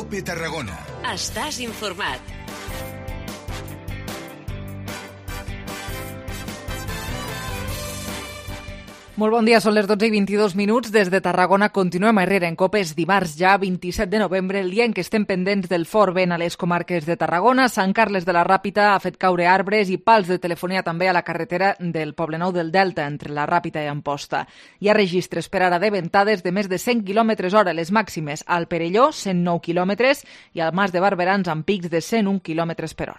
COPE Tarragona. Estàs informat. Molt bon dia, són les 12:22. Des de Tarragona continuem a Herrera en COPE. És dimarts ja, 27 de novembre, el dia en què estem pendents del fort vent a les comarques de Tarragona. Sant Carles de la Ràpita ha fet caure arbres i pals de telefonia també a la carretera del Poblenou del Delta, entre la Ràpita i Amposta. Hi ha registres per ara de ventades de més de 100 km/h, les màximes al Perelló, 109 km, i al Mas de Barberans amb pics de 101 km/h.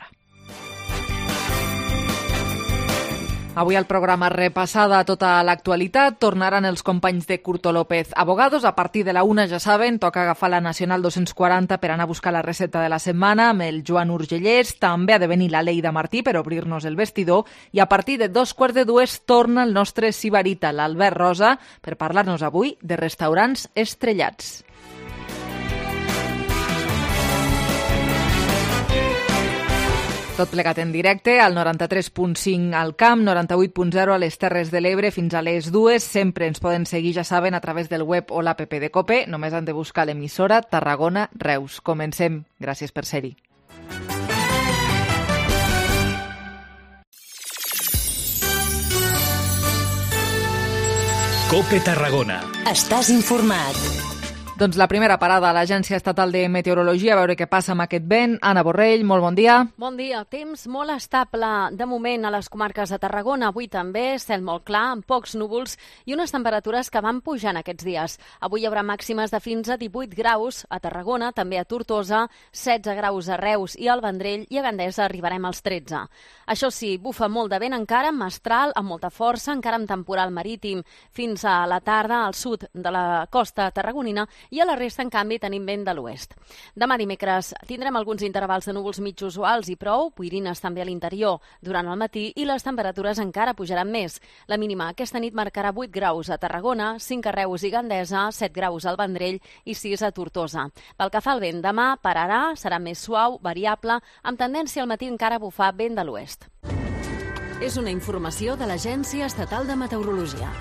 Avui al programa repassada tota l'actualitat. Tornaran els companys de Curto López Abogados. A partir de la 1, ja saben, toca agafar la Nacional 240 per anar a buscar la recepta de la setmana amb el Joan Urgellès. També ha de venir la Leida Martí per obrir-nos el vestidor. I a partir de 2:15 torna el nostre sibarita, l'Albert Rosa, per parlar-nos avui de restaurants estrellats. Tot plegat en directe al 93.5 al Camp, 98.0 a les Terres de l'Ebre fins a les 2. Sempre ens poden seguir, ja saben, a través del web o l'app de COPE. Només han de buscar l'emissora Tarragona Reus. Comencem. Gràcies per ser-hi. COPE Tarragona. Estàs informat. Doncs la primera parada a l'Agència Estatal de Meteorologia, a veure què passa amb aquest vent. Anna Borrell, molt bon dia. Bon dia. Temps molt estable de moment a les comarques de Tarragona. Avui també, cel molt clar, amb pocs núvols i unes temperatures que van pujant aquests dies. Avui hi haurà màximes de fins a 18 graus a Tarragona, també a Tortosa, 16 graus a Reus i al Vendrell, i a Gandesa arribarem als 13. Això sí, bufa molt de vent encara, mestral, amb molta força, encara amb temporal marítim. Fins a la tarda al sud de la costa tarragonina, i a la resta, en canvi, tenim vent de l'oest. Demà dimecres tindrem alguns intervals de núvols mig usuals i prou, boirines també a l'interior durant el matí, i les temperatures encara pujaran més. La mínima aquesta nit marcarà 8 graus a Tarragona, 5 a Reus i Gandesa, 7 graus al Vendrell i 6 a Tortosa. Pel que fa al vent, demà pararà, serà més suau, variable, amb tendència al matí encara a bufar vent de l'oest. És una informació de l'Agència Estatal de Meteorologia.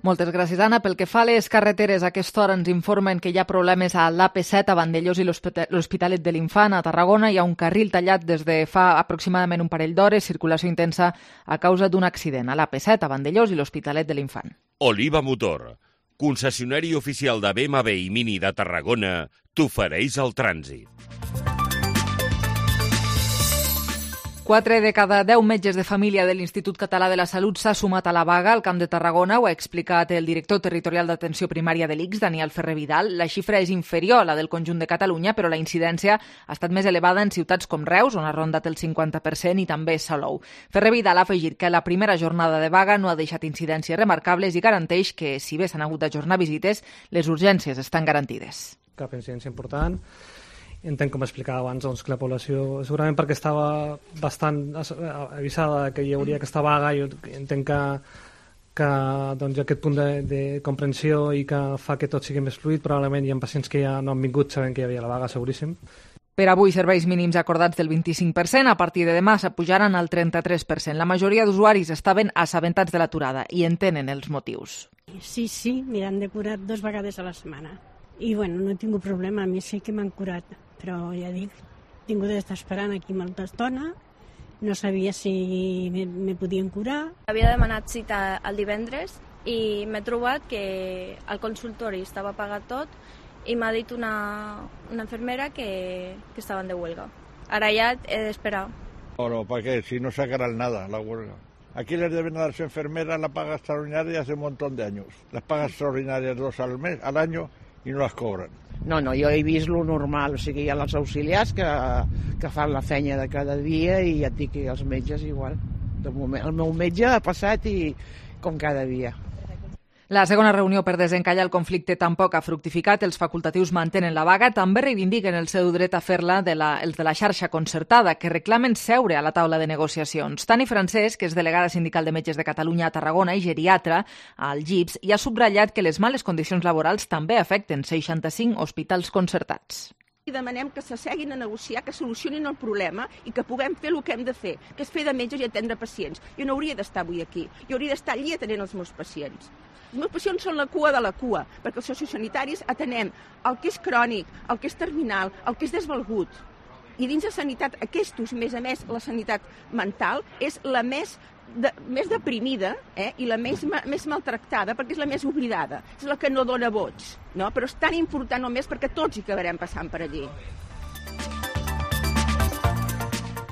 Moltes gràcies, Anna. Pel que fa a les carreteres, a aquesta hora ens informen que hi ha problemes a l'AP7 a Vandellós i l'Hospitalet de l'Infant a Tarragona. Hi ha un carril tallat des de fa aproximadament un parell d'hores, circulació intensa a causa d'un accident a l'AP7 a Vandellós i l'Hospitalet de l'Infant. Oliva Motor, concessionari oficial de BMW i Mini de Tarragona, t'ofereix el trànsit. 4 de cada 10 metges de família de l'Institut Català de la Salut s'ha sumat a la vaga al Camp de Tarragona. Ho ha explicat el director territorial d'atenció primària de l'ICS, Daniel Ferrer Vidal. La xifra és inferior a la del conjunt de Catalunya, però la incidència ha estat més elevada en ciutats com Reus, on ha rondat el 50%, i també Salou. Ferrer Vidal ha afegit que la primera jornada de vaga no ha deixat incidències remarcables i garanteix que, si bé s'han hagut d'ajornar visites, les urgències estan garantides. Cap incidència important. Entenc, com explicava abans, doncs, que la població, segurament perquè estava bastant avisada que hi hauria aquesta vaga, jo entenc que doncs, aquest punt de comprensió i que fa que tot sigui més fluid. Probablement hi ha pacients que ja no han vingut sabent que hi havia la vaga, seguríssim. Per avui, serveis mínims acordats del 25%, a partir de demà s'apujaran al 33%. La majoria d'usuaris estaven assabentats de l'aturada i entenen els motius. Sí, m'han de curar 2 vegades a la setmana. I bueno, no he tingut problema, a mi sí que m'han curat, però ja dic, he tingut d'estar esperant aquí molta estona, no sabia si me podien curar. Havia demanat cita el divendres i m'he trobat que el consultori estava pagat tot i m'ha dit una infermera que estaven de huelga. Ara ja he d'esperar. No, perquè si no sacarán nada la huelga. Aquí les deben a las enfermeras la paga extraordinaria hace un montón de años. Las pagas extraordinarias 2 al año i no les cobren. No, jo he vist lo normal, o sigui, hi ha els auxiliars que fan la feina de cada dia i ja et dic que els metges igual. De moment, el meu metge ha passat i com cada dia. La segona reunió per desencallar el conflicte tampoc ha fructificat. Els facultatius mantenen la vaga. També reivindiquen el seu dret a fer-la els de la xarxa concertada, que reclamen seure a la taula de negociacions. Tani Francesc, que és delegada sindical de metges de Catalunya a Tarragona i geriatra al GIPS, i ha subratllat que les males condicions laborals també afecten 65 hospitals concertats. I demanem que s'asseguin a negociar, que solucionin el problema i que puguem fer el que hem de fer, que és fer de metges i atendre pacients. Jo no hauria d'estar avui aquí, jo hauria d'estar allí atenent els meus pacients. Els meus pacients són la cua de la cua, perquè els sociosanitaris atenem el que és crònic, el que és terminal, el que és desvalgut. I dins de sanitat, aquests, més a més, la sanitat mental és la més deprimida i la més maltractada perquè és la més oblidada, és la que no dona vots, no? Però és tan important només perquè tots hi acabarem passant per allí.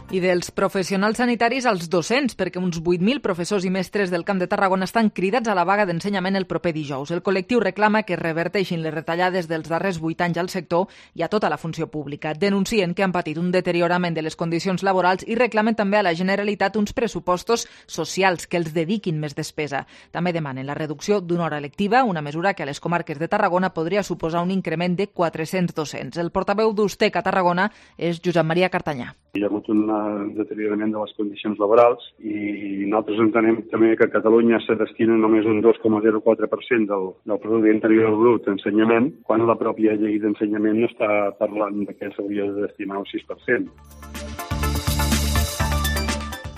I dels professionals sanitaris als docents, perquè uns 8.000 professors i mestres del Camp de Tarragona estan cridats a la vaga d'ensenyament el proper dijous. El col·lectiu reclama que es reverteixin les retallades dels darrers 8 anys al sector i a tota la funció pública. Denuncien que han patit un deteriorament de les condicions laborals i reclamen també a la Generalitat uns pressupostos socials que els dediquin més despesa. També demanen la reducció d'una hora lectiva, una mesura que a les comarques de Tarragona podria suposar un increment de 400 docents. El portaveu d'Ustec a Tarragona és Josep Maria Cartanyà. Hi ha hagut un deteriorament de les condicions laborals i nosaltres entenem també que a Catalunya se destina només un 2,04% del producte interior brut d'ensenyament, quan la pròpia llei d'ensenyament està parlant que s'hauria de destinar un 6%.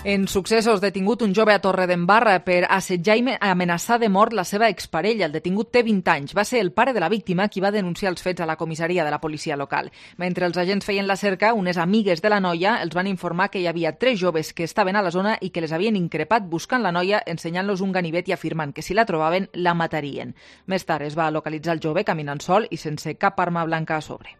En successos, detingut un jove a Torredembarra per assetjar i amenaçar de mort la seva exparella. El detingut té 20 anys. Va ser el pare de la víctima qui va denunciar els fets a la comissaria de la policia local. Mentre els agents feien la cerca, unes amigues de la noia els van informar que hi havia 3 joves que estaven a la zona i que les havien increpat buscant la noia, ensenyant-los un ganivet i afirmant que si la trobaven, la matarien. Més tard es va localitzar el jove caminant sol i sense cap arma blanca a sobre.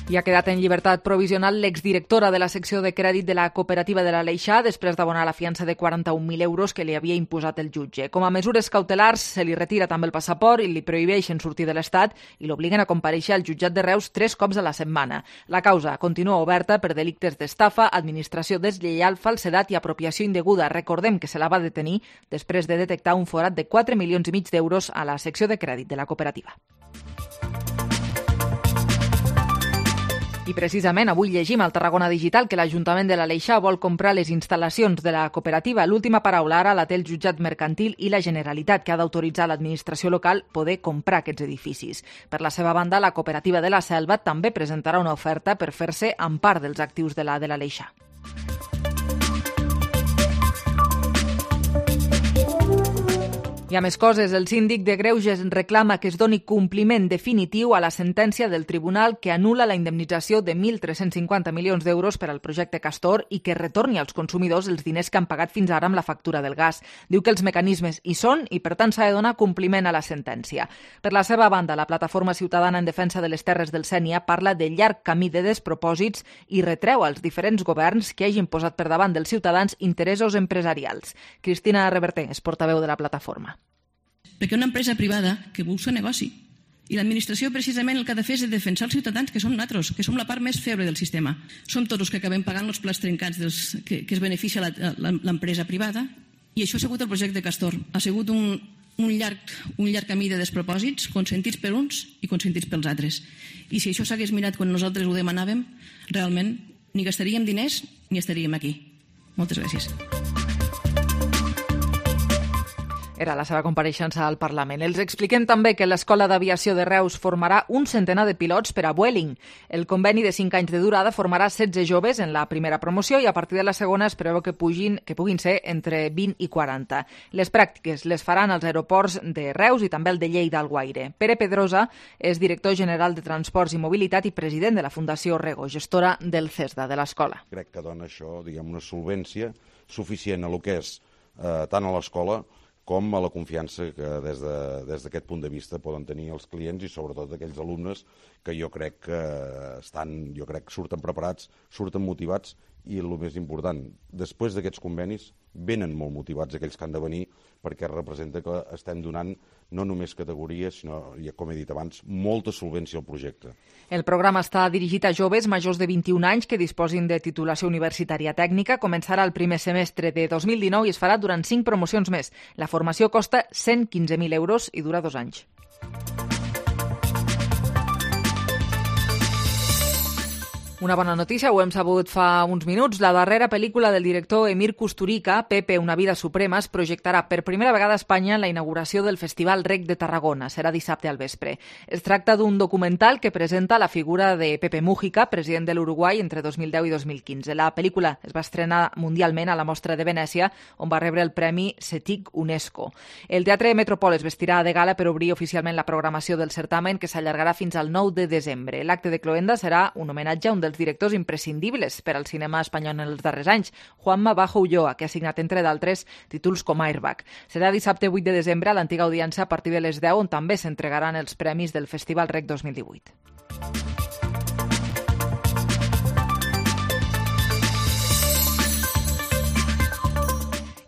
I ha quedat en llibertat provisional l'exdirectora de la secció de crèdit de la cooperativa de l'Aleixar després d'abonar la fiança de 41.000 euros que li havia imposat el jutge. Com a mesures cautelars, se li retira també el passaport i li prohibeixen sortir de l'Estat i l'obliguen a comparèixer al jutjat de Reus 3 cops a la setmana. La causa continua oberta per delictes d'estafa, administració deslleial, falsedat i apropiació indeguda. Recordem que se la va detenir després de detectar un forat de 4,5 milions d'euros a la secció de crèdit de la cooperativa. I precisament avui llegim al Tarragona Digital que l'Ajuntament de l'Aleixar vol comprar les instal·lacions de la cooperativa. L'última paraula ara la té el jutjat mercantil i la Generalitat, que ha d'autoritzar l'administració local poder comprar aquests edificis. Per la seva banda, la cooperativa de la Selva també presentarà una oferta per fer-se amb part dels actius de l'Aleixar. Hi ha més coses. El síndic de Greuges reclama que es doni compliment definitiu a la sentència del tribunal que anul·la la indemnització de 1.350 milions d'euros per al projecte Castor i que retorni als consumidors els diners que han pagat fins ara amb la factura del gas. Diu que els mecanismes hi són i, per tant, s'ha de donar compliment a la sentència. Per la seva banda, la Plataforma Ciutadana en Defensa de les Terres del Sénia parla de llarg camí de despropòsits i retreu als diferents governs que hagin posat per davant dels ciutadans interessos empresarials. Cristina Reverter és portaveu de la plataforma. Perquè una empresa privada que busca negoci. I l'administració precisament el que ha de fer és defensar els ciutadans, que som nosaltres, que som la part més feble del sistema. Som tots els que acabem pagant els plats trencats que es beneficia l'empresa privada, i això ha sigut el projecte Castor. Ha sigut un llarg camí de despropòsits, consentits per uns i consentits pels altres. I si això s'hagués mirat quan nosaltres ho demanàvem, realment ni gastaríem diners ni estaríem aquí. Moltes gràcies. Era la seva compareixença al Parlament. Els expliquem també que l'Escola d'Aviació de Reus formarà un centenar de pilots per a Vueling. El conveni de 5 anys de durada formarà 16 joves en la primera promoció i a partir de la segona es preveu que puguin ser entre 20 i 40. Les pràctiques les faran als aeroports de Reus i també el de Lleida Alguaire. Pere Pedrosa és director general de Transports i Mobilitat i president de la Fundació Rego, gestora del CESDA de l'escola. Crec que dona això, una solvència suficient a lo que és tant a l'escola com a la confiança que des d'aquest punt de vista poden tenir els clients i sobretot aquells alumnes que jo crec que surten preparats, surten motivats i el més important, després d'aquests convenis venen molt motivats aquells que han de venir perquè representa que estem donant no només categories, sinó, com he dit abans, molta solvència al projecte. El programa està dirigit a joves majors de 21 anys que disposin de titulació universitària tècnica. Començarà el primer semestre de 2019 i es farà durant 5 promocions més. La formació costa 115.000 euros i dura 2 anys. Una bona notícia, ho hem sabut fa uns minuts. La darrera pel·lícula del director Emir Kusturica, Pepe, una vida suprema, es projectarà per primera vegada a Espanya en la inauguració del Festival Rec de Tarragona. Serà dissabte al vespre. Es tracta d'un documental que presenta la figura de Pepe Mújica, president de l'Uruguai entre 2010 i 2015. La pel·lícula es va estrenar mundialment a la Mostra de Venècia, on va rebre el Premi CETIC UNESCO. El Teatre Metropol es vestirà de gala per obrir oficialment la programació del certamen, que s'allargarà fins al 9 de desembre. L'acte de cloenda serà un homenatge a un dels directors imprescindibles per al cinema espanyol en els darrers anys, Juanma Bajo Ulloa, que ha signat, entre d'altres, títols com Airbag. Serà dissabte 8 de desembre a l'antiga audiència a partir de les 10, on també s'entregaran els premis del Festival Rec 2018.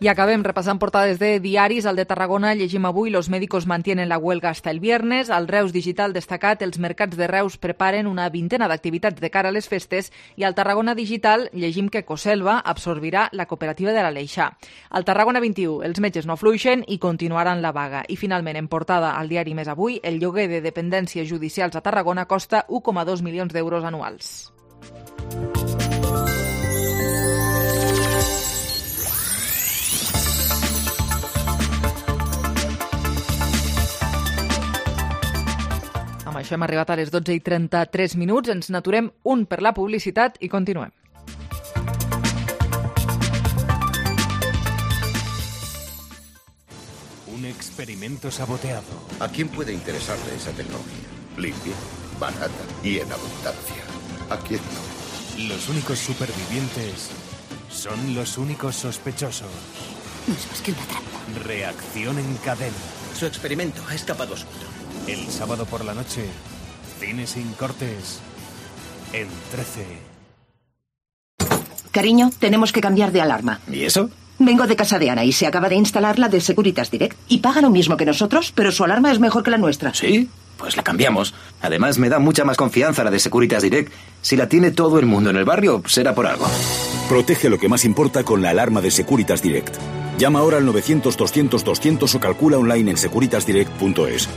I acabem repassant portades de diaris. Al de Tarragona llegim avui: los médicos mantienen la huelga hasta el viernes. Al Reus Digital destacat: els mercats de Reus preparen una vintena d'activitats de cara a les festes. I al Tarragona Digital llegim que Coselva absorbirà la cooperativa de l'Aleixar. Al Tarragona 21, els metges no afluixen i continuaran la vaga. I finalment, en portada al diari Més Avui, el lloguer de dependències judicials a Tarragona costa 1,2 milions d'euros anuals. Amb això hem arribat a les 12:33. Ens n'aturem un per la publicitat i continuem. Un experimento saboteado. ¿A quién puede interesarle esa tecnología? Limpia, barata y en abundancia. ¿A quién no? Los únicos supervivientes son los únicos sospechosos. No es más que una trampa. Reacción en cadena. Su experimento ha escapado a suelto. El sábado por la noche, cine sin cortes, en 13. Cariño, tenemos que cambiar de alarma. ¿Y eso? Vengo de casa de Ana y se acaba de instalar la de Securitas Direct. Y paga lo mismo que nosotros, pero su alarma es mejor que la nuestra. ¿Sí? Pues la cambiamos. Además, me da mucha más confianza la de Securitas Direct. Si la tiene todo el mundo en el barrio, será por algo. Protege lo que más importa con la alarma de Securitas Direct. Llama ahora al 900-200-200 o calcula online en securitasdirect.es.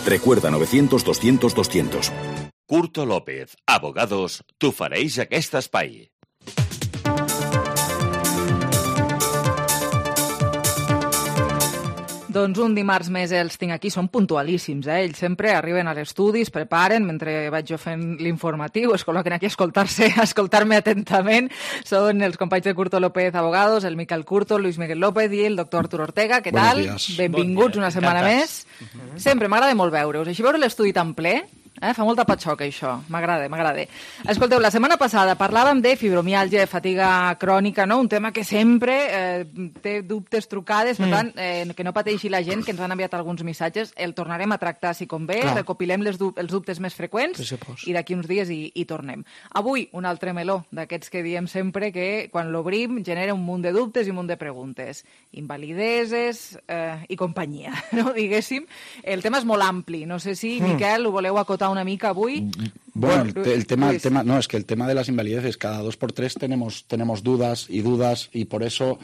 Recuerda, 900-200-200. Curto López, abogados, t'ofereix aquest espai. Doncs un dimarts més els tinc aquí, són puntualíssims, ells sempre arriben a l'estudi, es preparen mentre vaig jo fent l'informatiu, es col·loquen aquí a escoltar-me atentament. Són els companys de Curto López Abogados, el Miquel Curto, Luis Miguel López i el doctor Arturo Ortega. Què tal? Benvinguts una setmana més. Sempre m'agrada molt veure-us, així veure l'estudi tan ple. Fa molta patxoca, això. M'agrada. Escolteu, la setmana passada parlàvem de fibromiàlgia, fatiga crònica, no? Un tema que sempre té dubtes, trucades, per tant, que no pateixi la gent, que ens han enviat alguns missatges. El tornarem a tractar, si convé, recopilem els dubtes més freqüents i d'aquí uns dies hi tornem. Avui, un altre meló d'aquests que diem sempre que quan l'obrim genera un munt de dubtes i un munt de preguntes. Invalideses i companyia, no? Diguéssim. El tema és molt ampli. No sé si, Miquel, ho voleu acotar una mica avui. Bueno, el tema no, es que el tema de las invalideces, cada 2 por 3 tenemos dudas y por eso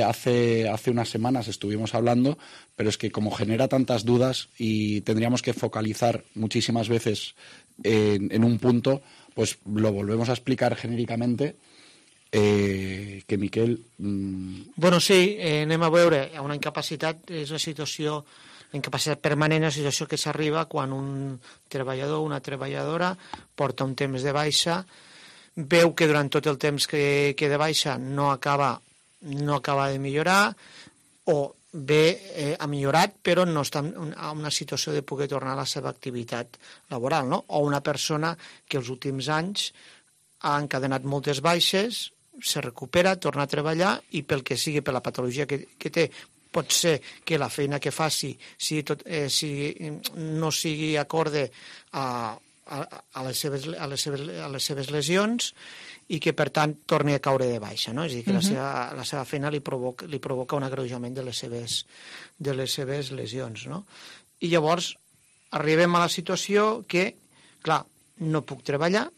hace unas semanas estuvimos hablando, pero es que como genera tantas dudas y tendríamos que focalizar muchísimas veces en un punto, pues lo volvemos a explicar genéricamente. Que Miquel... Bueno, sí, anem a veure, una incapacitat és una situació, la incapacitat permanent és una situació que s'arriba quan un treballador o una treballadora porta un temps de baixa, veu que durant tot el temps que de baixa no acaba de millorar, o bé ha millorat però no està en una situació de poder tornar a la seva activitat laboral, no? O una persona que els últims anys ha encadenat moltes baixes, se recupera, torna a treballar i pel que sigui, per la patologia que té, pot ser que la feina que faci no sigui acorde a les seves lesions i que, per tant, torni a caure de baixa, no? És a dir, que la seva feina li provoca un agreujament de les seves lesions, no? I llavors arribem a la situació que, clar, no puc treballar,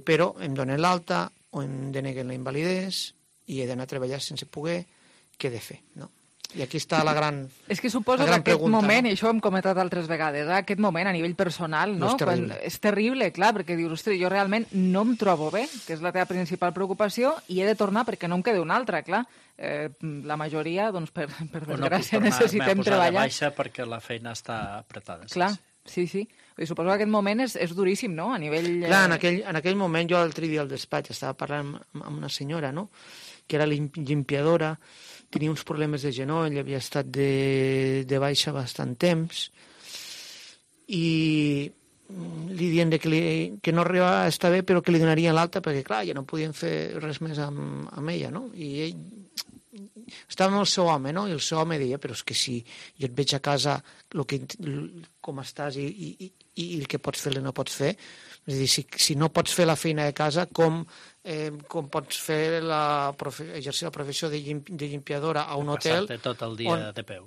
però em donen l'alta o em deneguen la invalidesa i he d'anar a treballar sense poder, què he de fer, no? I aquí està la gran pregunta. És que suposo que aquest moment, i això ho hem comentat altres vegades, aquest moment a nivell personal, no? És terrible, clar, perquè dius, ostres, jo realment no em trobo bé, que és la teva principal preocupació, i he de tornar perquè no em queda una altra, clar. La majoria, doncs, per desgràcia, necessitem treballar. O no puc tornar a baixa perquè la feina està apretada. Clar, sí. Suposo que aquest moment és duríssim, no?, a nivell... Clar, en aquell moment, jo l'altre dia al despatx estava parlant amb una senyora, no?, que era limpiadora, tenia uns problemes de genoll, havia estat de baixa bastant temps, i li dient que no arribava a estar bé, però que li donarien l'alta, perquè, clar, ja no podien fer res més amb ella, no? I ell estava amb el seu home, no? I el seu home deia, però és que si jo et veig a casa com estàs i el que pots fer i no pots fer, és a dir, si no pots fer la feina de casa, com pots fer exercir la professió de limpiadora a un hotel passar-te tot el dia de peu,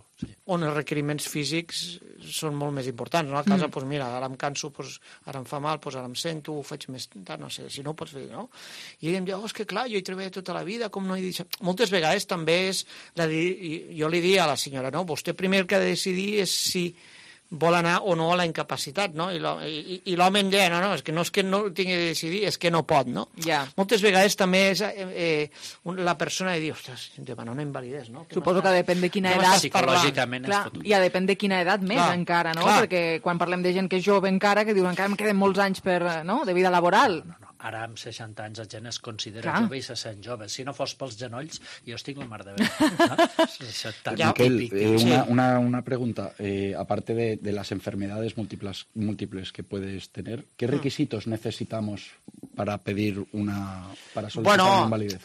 on els requeriments físics són molt més importants, no? A casa, doncs mira, ara em canso, ara em fa mal, ara em sento, ho faig més tard, no sé, si no ho pots fer, no? I ell em diu, és que clar, jo hi treballo tota la vida, com no he dit... Moltes vegades també és, jo li dic a la senyora, no? Vostè primer el que ha de decidir és si vol anar o no a la incapacitat, no? I l'home em deia, no, és que no tingui de decidir, és que no pot, no? Ja. Moltes vegades també és la persona de dir, ostres, demana una invalidesa, no? Suposo que depèn de quina edat... Psicològicament és fotut. I depèn de quina edat més encara, no? Perquè quan parlem de gent que és jove encara, que diuen encara em queden molts anys de vida laboral. No. Ara, amb 60 anys, la gent es considera jove i se sent jove. Si no fos pels genolls, jo estic la mar de bé. Miquel, una pregunta. Aparte de las enfermedades múltiples que puedes tener, ¿qué requisitos necesitamos para pedir para solicitar una invalidez?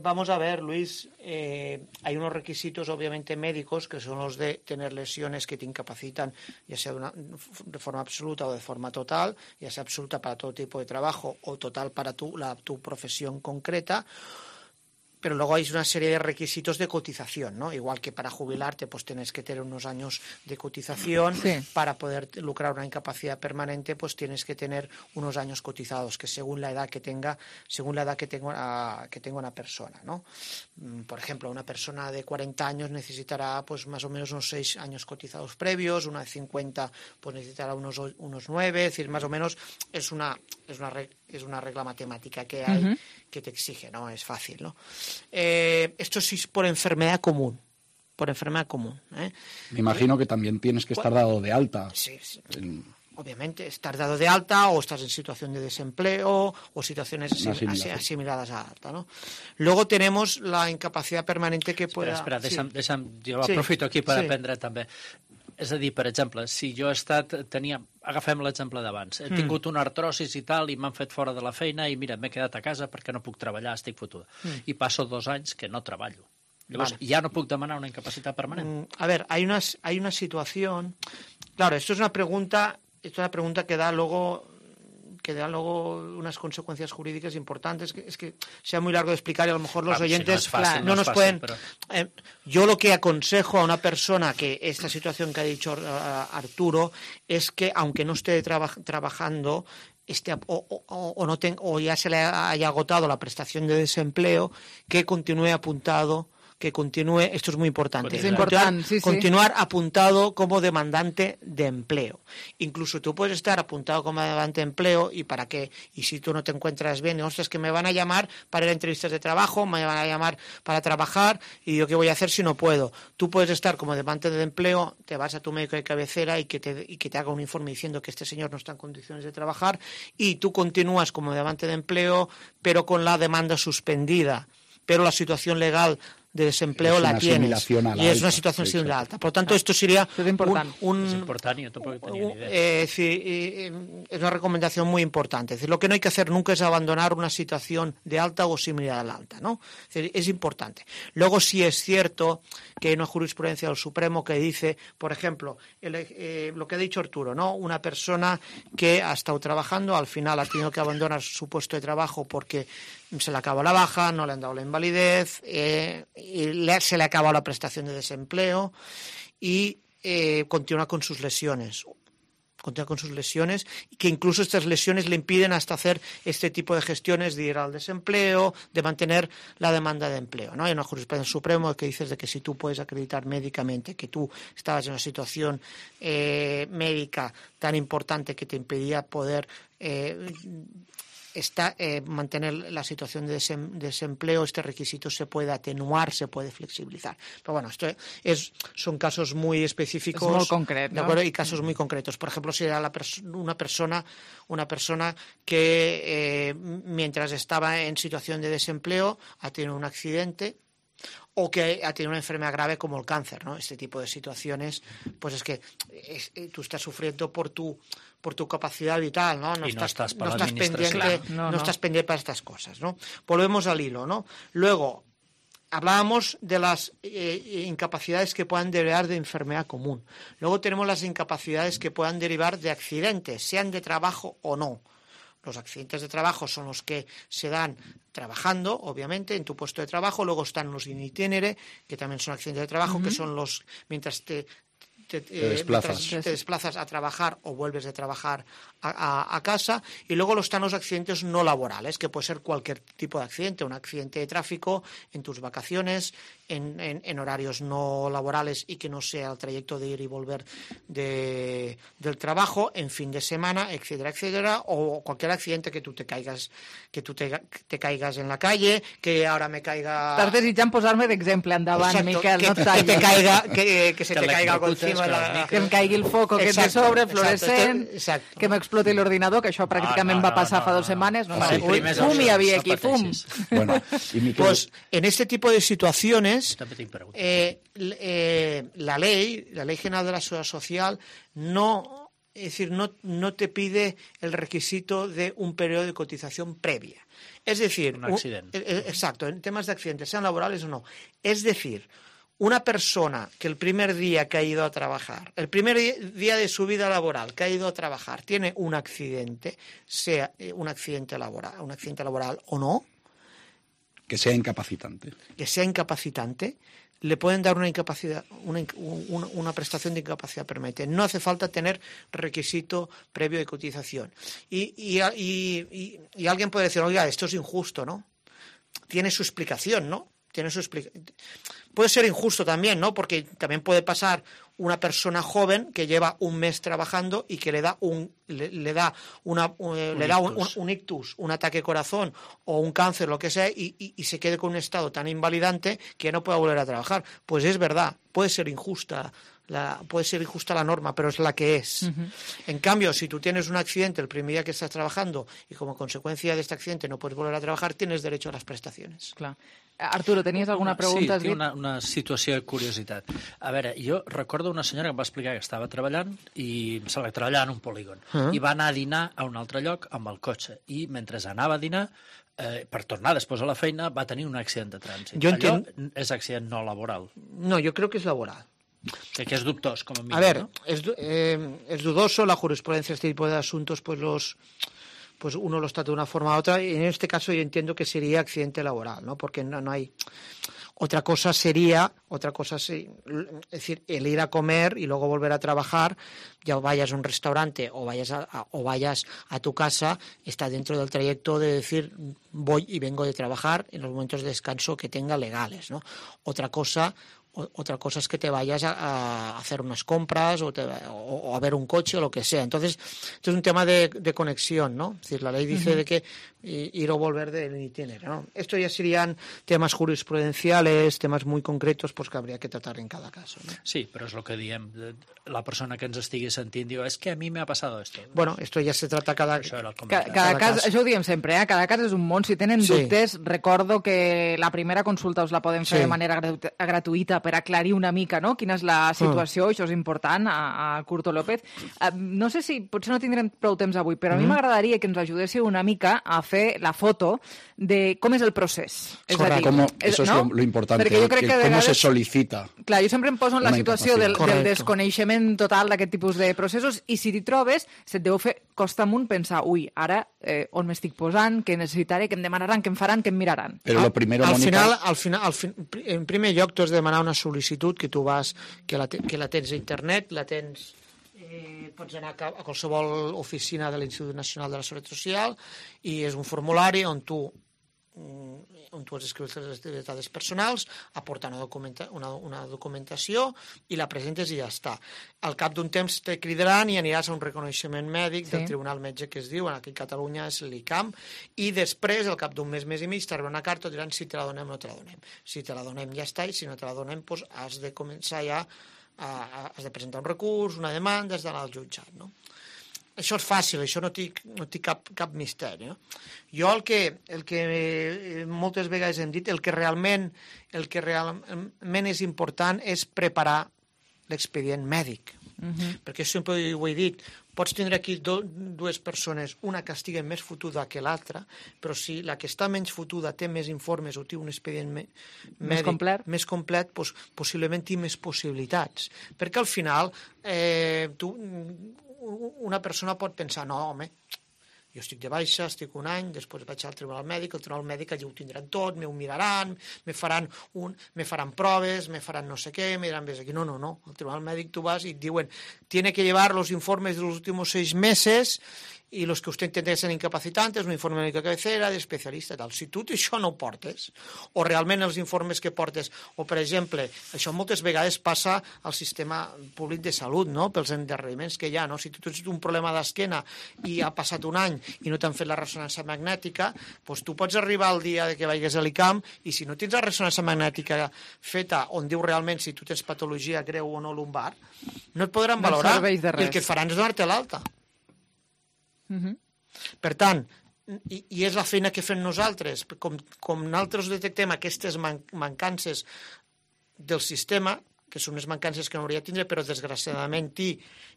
Vamos a ver, Luis, hay unos requisitos obviamente médicos que son los de tener lesiones que te incapacitan, ya sea de forma absoluta o de forma total, ya sea absoluta para todo tipo de trabajo o total para tu profesión concreta. Pero luego hay una serie de requisitos de cotización, ¿no? Igual que para jubilarte, pues tienes que tener unos años de cotización. Sí. Para poder lucrar una incapacidad permanente, pues tienes que tener unos años cotizados, que según la edad que tenga una persona, ¿no? Por ejemplo, una persona de 40 años necesitará, pues más o menos unos 6 años cotizados previos, una de 50, pues necesitará unos 9, es decir, más o menos es una regla matemática que hay que te exige, ¿no? Es fácil, ¿no? Esto sí es por enfermedad común. Me imagino que también tienes que estar dado de alta. Sí. Obviamente, estar dado de alta o estás en situación de desempleo o situaciones asimiladas a alta, ¿no? Luego tenemos la incapacidad permanente que pueda... Espera, deixa'm, jo aprofito aquí per aprendre també. És a dir, per exemple, si jo agafem l'exemple d'abans, he tingut una artrosis i tal, i m'han fet fora de la feina, i mira, m'he quedat a casa perquè no puc treballar, estic fotuda. I passo 2 anys que no treballo. Llavors, ya no puc demanar una incapacitat permanente. A ver, hay una situación... Claro, esto es una pregunta que da luego unas consecuencias jurídicas importantes. Es que sea muy largo de explicar y a lo mejor los oyentes no nos pueden... Yo lo que aconsejo a una persona que esta situación que ha dicho Arturo es que, aunque no esté trabajando, o ya se le haya agotado la prestación de desempleo, que continúe apuntado... esto es muy importante, continuar apuntado como demandante de empleo. Incluso tú puedes estar apuntado como demandante de empleo y si tú no te encuentras bien, ostras, que me van a llamar para ir a entrevistas de trabajo, me van a llamar para trabajar y yo qué voy a hacer si no puedo. Tú puedes estar como demandante de empleo, te vas a tu médico de cabecera y que te haga un informe diciendo que este señor no está en condiciones de trabajar y tú continúas como demandante de empleo pero con la demanda suspendida, pero la situación legal de desempleo la tienes y es una situación similar alta. Por lo tanto, esto sería es una recomendación muy importante. Es decir, lo que no hay que hacer nunca es abandonar una situación de alta o similar a la alta, ¿no? Es importante. Luego sí es cierto que hay una jurisprudencia del Supremo que dice, por ejemplo, lo que ha dicho Arturo, ¿no? Una persona que ha estado trabajando, al final ha tenido que abandonar su puesto de trabajo porque se le acabó la baja, no le han dado la invalidez, y se le ha acabado la prestación de desempleo y continúa con sus lesiones. continúa con sus lesiones, y que incluso estas lesiones le impiden hasta hacer este tipo de gestiones de ir al desempleo, de mantener la demanda de empleo, ¿no? Hay una jurisprudencia suprema que dice de que si tú puedes acreditar médicamente que tú estabas en una situación médica tan importante que te impedía poder mantener la situación de desempleo, este requisito se puede atenuar, se puede flexibilizar. Pero bueno, esto son casos muy específicos, molt concret, ¿de acuerdo? Y casos muy concretos. Por ejemplo, si era una persona que mientras estaba en situación de desempleo ha tenido un accidente o que ha tenido una enfermedad grave como el cáncer, ¿no? Este tipo de situaciones, pues es que tú estás sufriendo por tu capacidad vital, ¿no? No estás pendiente para estas cosas, ¿no? Volvemos al hilo, ¿no? Luego, hablábamos de las incapacidades que puedan derivar de enfermedad común. Luego tenemos las incapacidades que puedan derivar de accidentes, sean de trabajo o no. Los accidentes de trabajo son los que se dan trabajando, obviamente, en tu puesto de trabajo. Luego están los in itinere, que también son accidentes de trabajo, que son los mientras te desplazas a trabajar o vuelves de trabajar a casa. Y luego están los accidentes no laborales, que puede ser cualquier tipo de accidente, un accidente de tráfico en tus vacaciones, en horarios no laborales y que no sea el trayecto de ir y volver del trabajo, en fin de semana, etcétera, etcétera, o cualquier accidente que tú te caigas en la calle, que ahora me caiga... Estàs desitjant posar-me d'exemple endavant, exacto, Miquel, no et tallis. Que se te caiga algo encima, que em caigui el foco que és de sobre, fluorescent, que m'exploti l'ordinador, que això pràcticament va passar fa 2 setmanes. Fum hi havia aquí, fum. Bueno, pues en este tipo de situaciones la ley general de la seguridad social no te pide el requisito de un periodo de cotización previa. Es decir, exacto, en temas de accidentes, sean laborales o no. Es decir, una persona que el primer día que ha ido a trabajar, el primer día de su vida laboral que ha ido a trabajar, tiene un accidente, sea un accidente laboral o no, que sea incapacitante, le pueden dar una incapacidad, una prestación de incapacidad permanente. No hace falta tener requisito previo de cotización. Y alguien puede decir, oiga, esto es injusto, ¿no? Tiene su explicación, ¿no? Puede ser injusto también, ¿no? Porque también puede pasar una persona joven que lleva un mes trabajando y que le da un ictus, un ataque corazón o un cáncer, lo que sea, y se quede con un estado tan invalidante que no pueda volver a trabajar. Pues es verdad, puede ser injusta la norma, pero es la que es. En cambio, si tú tienes un accidente el primer día que estás trabajando y como consecuencia de este accidente no puedes volver a trabajar, tienes derecho a las prestaciones. Clar. Arturo, tenies alguna pregunta? Sí, tinc una situació de curiositat. A veure, jo recordo una senyora que em va explicar que estava treballant i em sembla que treballava en un polígon i va anar a dinar a un altre lloc amb el cotxe i mentre anava a dinar per tornar després a la feina va tenir un accident de trànsit. Allò és accident no laboral. No, yo creo que es laboral. Que es dubtós, como mínimo. A ver, ¿no? Es dudoso, la jurisprudencia, este tipo de asuntos, pues uno los trata de una forma u otra, y en este caso yo entiendo que sería accidente laboral, ¿no? Porque no hay... Otra cosa es decir, el ir a comer y luego volver a trabajar, ya vayas a un restaurante o vayas a tu casa, está dentro del trayecto de decir voy y vengo de trabajar en los momentos de descanso que tenga legales, ¿no? Otra cosa es que te vayas a hacer unas compras o a ver un coche o lo que sea. Entonces, esto es un tema de conexión, ¿no? Es decir, la ley dice de que ir o volver del itinerario, ¿no? Esto ya serían temas jurisprudenciales, temas muy concretos, pues que habría que tratar en cada caso, ¿no? Sí, però és el que diem. La persona que ens estigui sentint diu, és que a mi m'ha passat esto. Bueno, esto ya se trata cada cas. Això ho diem sempre, cada cas és un món. Si tenen dubtes, recordo que la primera consulta us la podem fer de manera gratuïta per aclarir una mica, no?, quina és la situació, això és important, a Curto López. No sé si, potser no tindrem prou temps avui, però a mi m'agradaria que ens ajudéssiu una mica a fer la foto de com és el procés. És a dir, eso es lo importante, cómo se solicita. Clar, jo sempre em poso en la situació del desconeixement total d'aquest tipus de processos i si t'hi trobes, se't deu fer costa amunt pensar, ui, ara on m'estic posant, què necessitaré, què em demanaran, què em faran, què em miraran. Però lo primero, al final, en primer lloc, tu has de demanar una sol·licitud que tu vas, que la tens a internet, la tens pots anar a qualsevol oficina de l'Institut Nacional de la Seguretat Social i és un formulari on tu has escrit les dades personals, aportar una documentació i la presentes i ja està. Al cap d'un temps te cridaran i aniràs a un reconeixement mèdic del Tribunal Metge que es diu, aquí a Catalunya és l'ICAM, i després, al cap d'un mes i mig, t'arriba una carta i diran si te la donem o no te la donem. Si te la donem ja està, i si no te la donem has de començar ja, has de presentar un recurs, una demanda, has d'anar al jutjat, no? Això és fàcil, això no té cap misteri. No? Jo el que moltes vegades hem dit, el que realment és important és preparar l'expedient mèdic. Perquè sempre ho he dit, pots tindre aquí dues persones, una que estigui més fotuda que l'altra, però si la que està menys fotuda té més informes o té un expedient mèdic més complet, doncs possiblement té més possibilitats. Perquè al final una persona pot pensar, no, home, jo estic de baixa, estic un any, després vaig al tribunal mèdic, el tribunal mèdic allà ho tindran tot, m'ho miraran, me faran proves, me faran no sé què, me diran ves aquí. No, al tribunal mèdic tu vas i et diuen, tiene que llevar los informes de los últimos 6 meses y los que usted entiende que son incapacitantes, un informe médico de cabecera, d'especialista, tal. Si tu això no ho portes, o realment els informes que portes, o per exemple, això moltes vegades passa al sistema públic de salut, no? Pels endarreriments que hi ha, no? Si tu tens un problema d'esquena i ha passat un any i no t'han fet la ressonància magnètica, doncs tu pots arribar el dia que vagis a l'ICAM i si no tens la ressonància magnètica feta on diu realment si tu tens patologia greu o no lumbar, no et podran valorar i el que et faran és donar-te l'alta. Per tant, i és la feina que fem nosaltres, com nosaltres detectem aquestes mancances del sistema, que són unes mancances que no hauria de tindre, però desgraciadament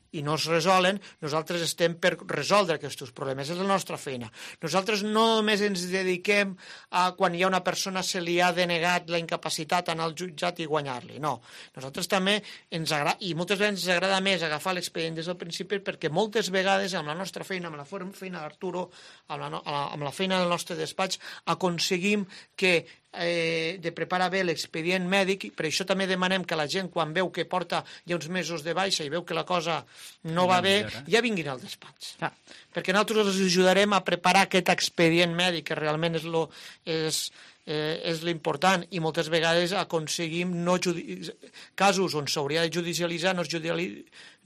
i no es resolen, nosaltres estem per resoldre aquests problemes, és la nostra feina. Nosaltres no només ens dediquem a quan hi ha una persona se li ha denegat la incapacitat anar al jutjat i guanyar-li, no. Nosaltres també ens agrada, i moltes vegades ens agrada més agafar l'expedient des del principi perquè moltes vegades amb la nostra feina, amb la feina d'Arturo, amb la feina del nostre despatx, aconseguim que de preparar bé l'expedient mèdic, per això també demanem que la gent quan veu que porta ja uns mesos de baixa i veu que la cosa no va bé, ja vinguin al despatx. Perquè nosaltres els ajudarem a preparar aquest expedient mèdic que realment és l'important i moltes vegades aconseguim casos on s'hauria de judicialitzar,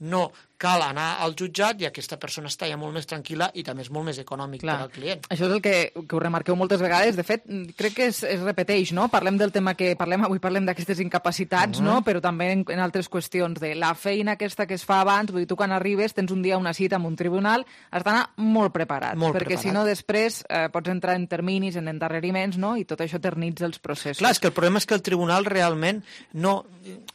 no cal anar al jutjat i aquesta persona està ja molt més tranquil·la i també és molt més econòmic per al client. Això és el que ho remarqueu moltes vegades. De fet, crec que es repeteix, no? Parlem del tema que parlem avui, parlem d'aquestes incapacitats, no? Però també en altres qüestions de la feina aquesta que es fa abans. Vull dir, tu quan arribes tens un dia una cita amb un tribunal, has d'anar molt preparat, perquè si no després pots entrar en terminis, en endarreriments, no? I tot això eternitza els processos. Clar, és que el problema és que el tribunal realment no...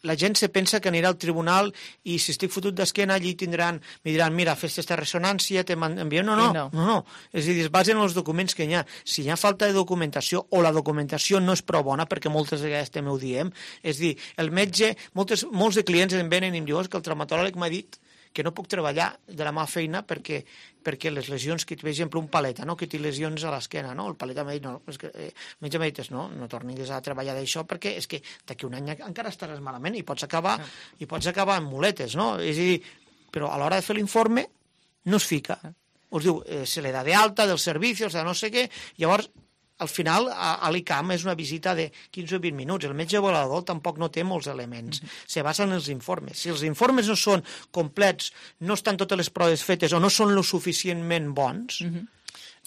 La gent se pensa que anirà al tribunal i si estic fotut d'esquena allí me diran, mira, fes aquesta ressonància, te m'envien... No. És a dir, es basen en els documents que hi ha. Si hi ha falta de documentació o la documentació no és prou bona, perquè moltes vegades també ho diem, és a dir, el metge, molts de clients em venen i em diuen que el traumatòleg m'ha dit que no puc treballar de la meva feina perquè les lesions, que per exemple un paleta, no? Que té lesions a l'esquena, no? El paleta m'ha dit, no, és que, el metge m'ha dit, no tornis a treballar d'això perquè és que d'aquí un any encara estaràs malament i pots acabar amb muletes, no? És a dir, però a l'hora de fer l'informe no es fica. Us diu, se le da de alta dels servicis, de no sé què, llavors al final a l'ICAM és una visita de 15 o 20 minuts. El metge volador tampoc no té molts elements. Se basa en els informes. Si els informes no són complets, no estan totes les proves fetes o no són lo suficientment bons...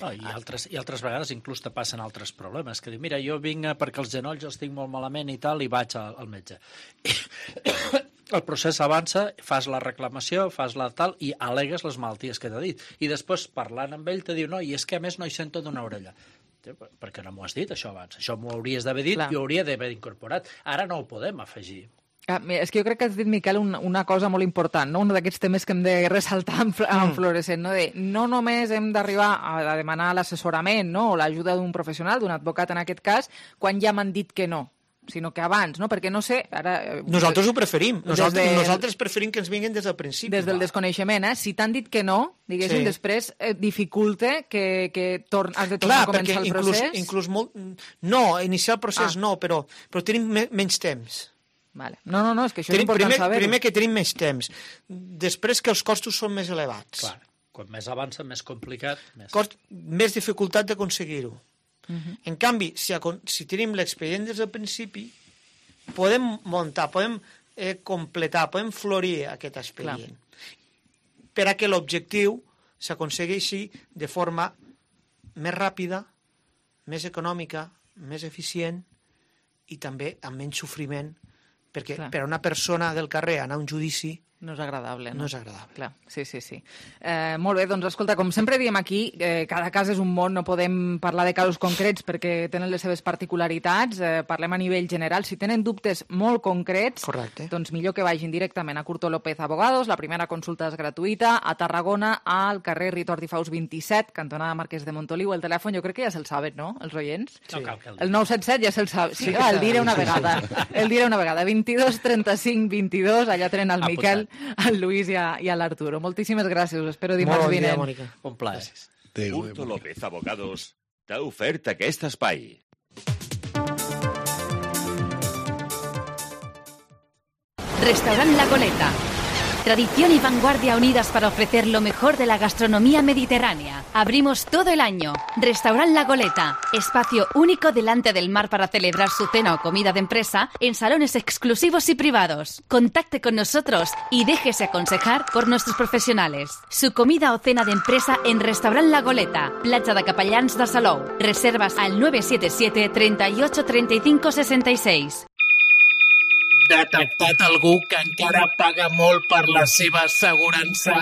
I altres vegades inclús te passen altres problemes, que diu, mira, jo vinc perquè els genolls els tinc molt malament i tal, i vaig al metge. El procés avança, fas la reclamació, fas la tal, i al·legues les malalties que t'ha dit. I després, parlant amb ell, te diu, no, i és que a més no hi sento d'una orella. Per què no m'ho has dit, això abans? Això m'ho hauries d'haver dit i ho hauria d'haver incorporat. Ara no ho podem afegir. És que jo crec que has dit, Miquel, una cosa molt important, no? Un d'aquests temes que hem de ressaltar en fluorescent, no? No només hem d'arribar a demanar l'assessorament, no? O l'ajuda d'un professional, d'un advocat en aquest cas, quan ja m'han dit que no, sinó que abans, no? Perquè no sé... Nosaltres ho preferim. Nosaltres preferim que ens vinguin des del principi. Des del desconeixement, Si t'han dit que no, diguéssim, després dificulte que has de tornar a començar el procés. Inclús molt... No, iniciar el procés no, però tenim menys temps. Vale. No, és que això és important saber-ho. Primer que tenim més temps, després que els costos són més elevats. Clar, quan més avança, més complicat. Més dificultat d'aconseguir-ho. En canvi, si tenim l'expedient des del principi, podem muntar, podem completar, podem florir aquest expedient. Per a que l'objectiu s'aconsegueixi de forma més ràpida, més econòmica, més eficient i també amb menys sofriment, perquè per a una persona del carrer anar a un judici no és agradable. No és agradable. Clar. Sí. Molt bé, doncs escolta, com sempre diem aquí, cada cas és un món, no podem parlar de casos concrets perquè tenen les seves particularitats, parlem a nivell general. Si tenen dubtes molt concrets, doncs millor que vagin directament a Curto López Abogados, la primera consulta és gratuïta, a Tarragona, al carrer Ritor Difaus 27, cantonada Marquès de Montoliu. El telèfon jo crec que ja se'l saben, no?, els oients? No cal que el 977 ja se'l saben. Sí, el diré una vegada. El diré una vegada. 22 35 22, allà tenen el Miquel, al Lluís i a l'Arturo. Moltíssimes gràcies, us espero dimarts vinent. Molt bon dia, Mònica. Un plaer. Curto López Abogados t'ha ofert aquest espai. Restaurant La Goleta. Tradición y vanguardia unidas para ofrecer lo mejor de la gastronomía mediterránea. Abrimos todo el año. Restaurant La Goleta. Espacio único delante del mar para celebrar su cena o comida de empresa en salones exclusivos y privados. Contacte con nosotros y déjese aconsejar por nuestros profesionales. Su comida o cena de empresa en Restaurant La Goleta. Platja de Capellans de Salou. Reservas al 977 38 35 66. Detectat algú que encara paga molt per la seva assegurança.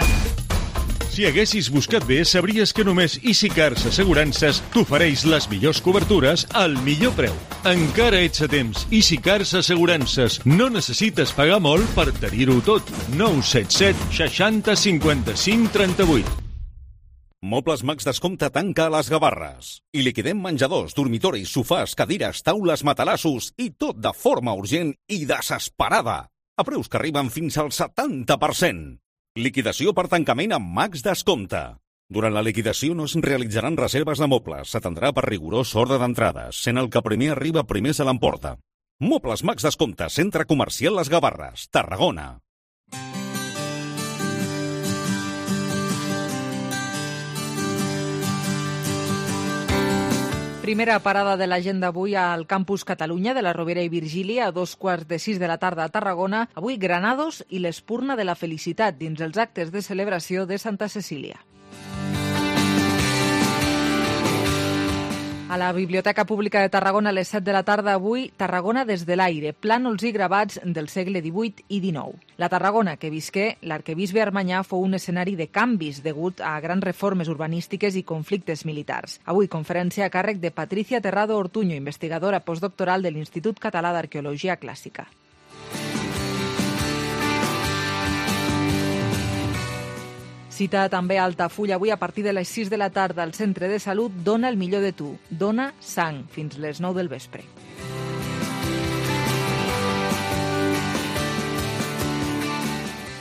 Si haguessis buscat bé, sabries que només EasyCars Assegurances t'ofereix les millors cobertures al millor preu. Encara ets a temps. EasyCars Assegurances. No necessites pagar molt per tenir-ho tot. 977 60 55 38. Mobles Max Descompte tanca a les Gavarres. I liquidem menjadors, dormitoris, sofàs, cadires, taules, matalassos i tot de forma urgent i desesperada. A preus que arriben fins al 70%. Liquidació per tancament amb Max Descompte. Durant la liquidació no es realitzaran reserves de mobles. S'atendrà per rigorós ordre d'entrades, sent el que primer arriba primer se l'emporta. Mobles Max Descompte, Centre Comercial Les Gavarres, Tarragona. Primera parada de l'agenda avui al Campus Catalunya de la Rovira i Virgili a 5:45 de la tarda a Tarragona. Avui Granados i l'Espurna de la Felicitat dins els actes de celebració de Santa Cecília. A la Biblioteca Pública de Tarragona a les 7 de la tarda avui, Tarragona des de l'aire, plànols i gravats del segle XVIII i XIX. La Tarragona que visqué l'arquebisbe Armanyà fou un escenari de canvis degut a grans reformes urbanístiques i conflictes militars. Avui conferència a càrrec de Patricia Terrado Ortuño, investigadora postdoctoral de l'Institut Català d'Arqueologia Clàssica. Cita també a Altafulla avui a partir de les 6 de la tarda al Centre de Salut Dona el millor de tu. Dona sang fins les 9 del vespre.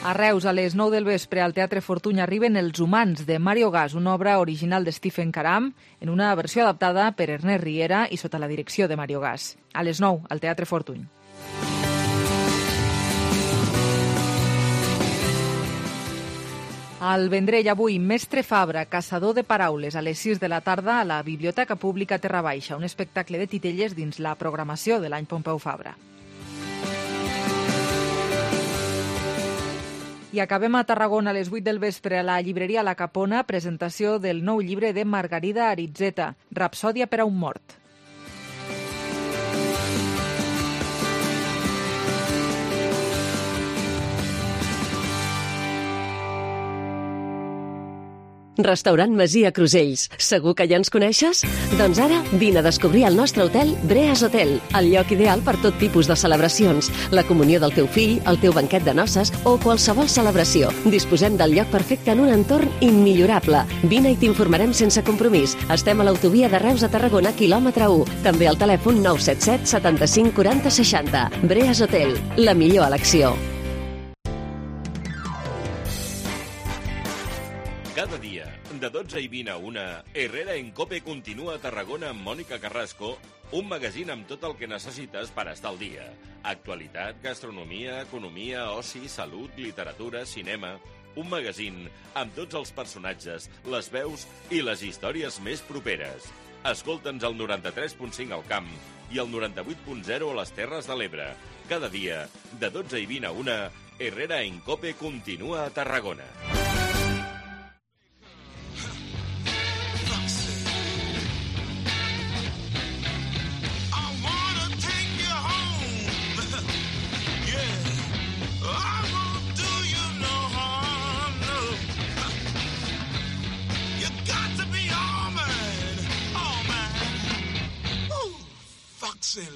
A Reus, a les 9 del vespre, al Teatre Fortuny arriben Els humans, de Mario Gas, una obra original de Stephen Caram, en una versió adaptada per Ernest Riera i sota la direcció de Mario Gas. A les 9, al Teatre Fortuny. Al Vendrell avui, Mestre Fabra, caçador de paraules, a les 6 de la tarda a la Biblioteca Pública Terra Baixa, un espectacle de titelles dins la programació de l'any Pompeu Fabra. I acabem a Tarragona a les 8 del vespre a la llibreria La Capona, presentació del nou llibre de Margarida Aritzeta, Rapsòdia per a un mort. Restaurant Masia Crusells. Segur que ja ens coneixes? Doncs ara vine a descobrir el nostre hotel Breas Hotel, el lloc ideal per tot tipus de celebracions, la comunió del teu fill, el teu banquet de noces o qualsevol celebració. Disposem del lloc perfecte en un entorn immillorable. Vine i t'informarem sense compromís. Estem a l'autovia de Reus a Tarragona, quilòmetre 1. També al telèfon 977 75 40 60. Breas Hotel, la millor elecció. Cada dia, de 12 i 20 a 1, Herrera en COPE continua a Tarragona amb Mònica Carrasco Un magazín amb tot el que necessites per estar al dia. Actualitat, gastronomia, economia, oci, salut, literatura, cinema... Un magazín amb tots els personatges, les veus i les històries més properes. Escolta'ns al 93.5 al Camp i al 98.0 a les Terres de l'Ebre. Cada dia, de 12 i 20 a 1, Herrera en Cope continua a Tarragona.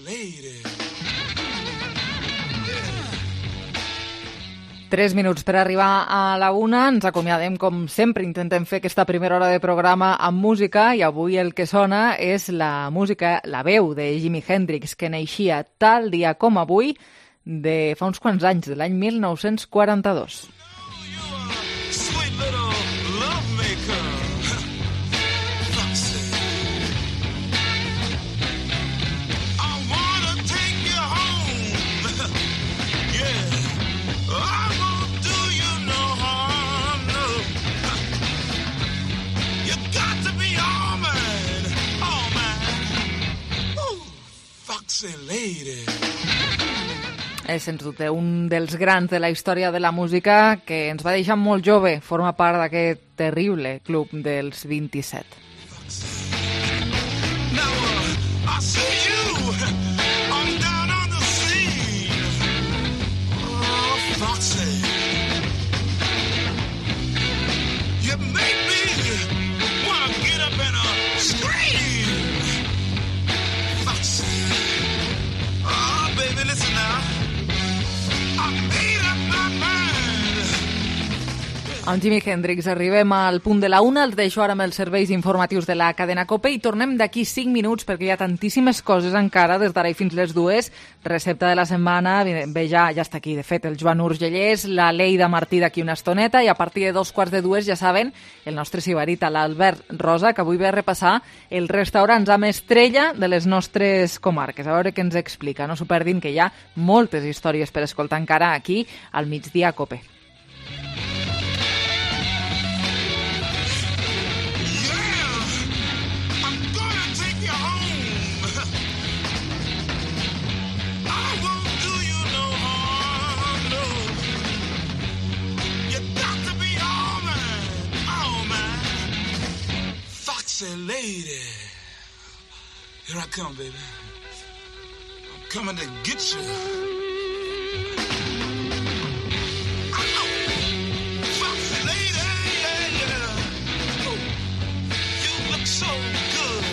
Lady. 3 minuts per arribar a la 1. Ens acomiadem, com sempre, intentem fer aquesta primera hora de programa amb música, i avui el que sona és la música, la veu de Jimi Hendrix, que naixia tal dia com avui de fa uns quants anys, de l'any 1942. És, sens dubte, un dels grans de la història de la música, que ens va deixar molt jove. Forma part d'aquest terrible club dels 27. Amb Jimi Hendrix arribem al punt de la 1. Els deixo ara amb els serveis informatius de la cadena COPE i tornem d'aquí 5 minuts perquè hi ha tantíssimes coses encara des d'ara i fins les 2. Recepta de la setmana, bé, ja està aquí, de fet, el Joan Urgellés, la Leida Martí d'aquí una estoneta, i a partir de 2:45, ja saben, el nostre sibarita, l'Albert Rosa, que avui ve a repassar els restaurants amb estrella de les nostres comarques. A veure què ens explica. No s'ho perdin, que hi ha moltes històries per escoltar encara aquí al Migdia COPE. Lady, here I come, baby. I'm coming to get you. Ow! Foxy lady, yeah. Ooh, you look so good,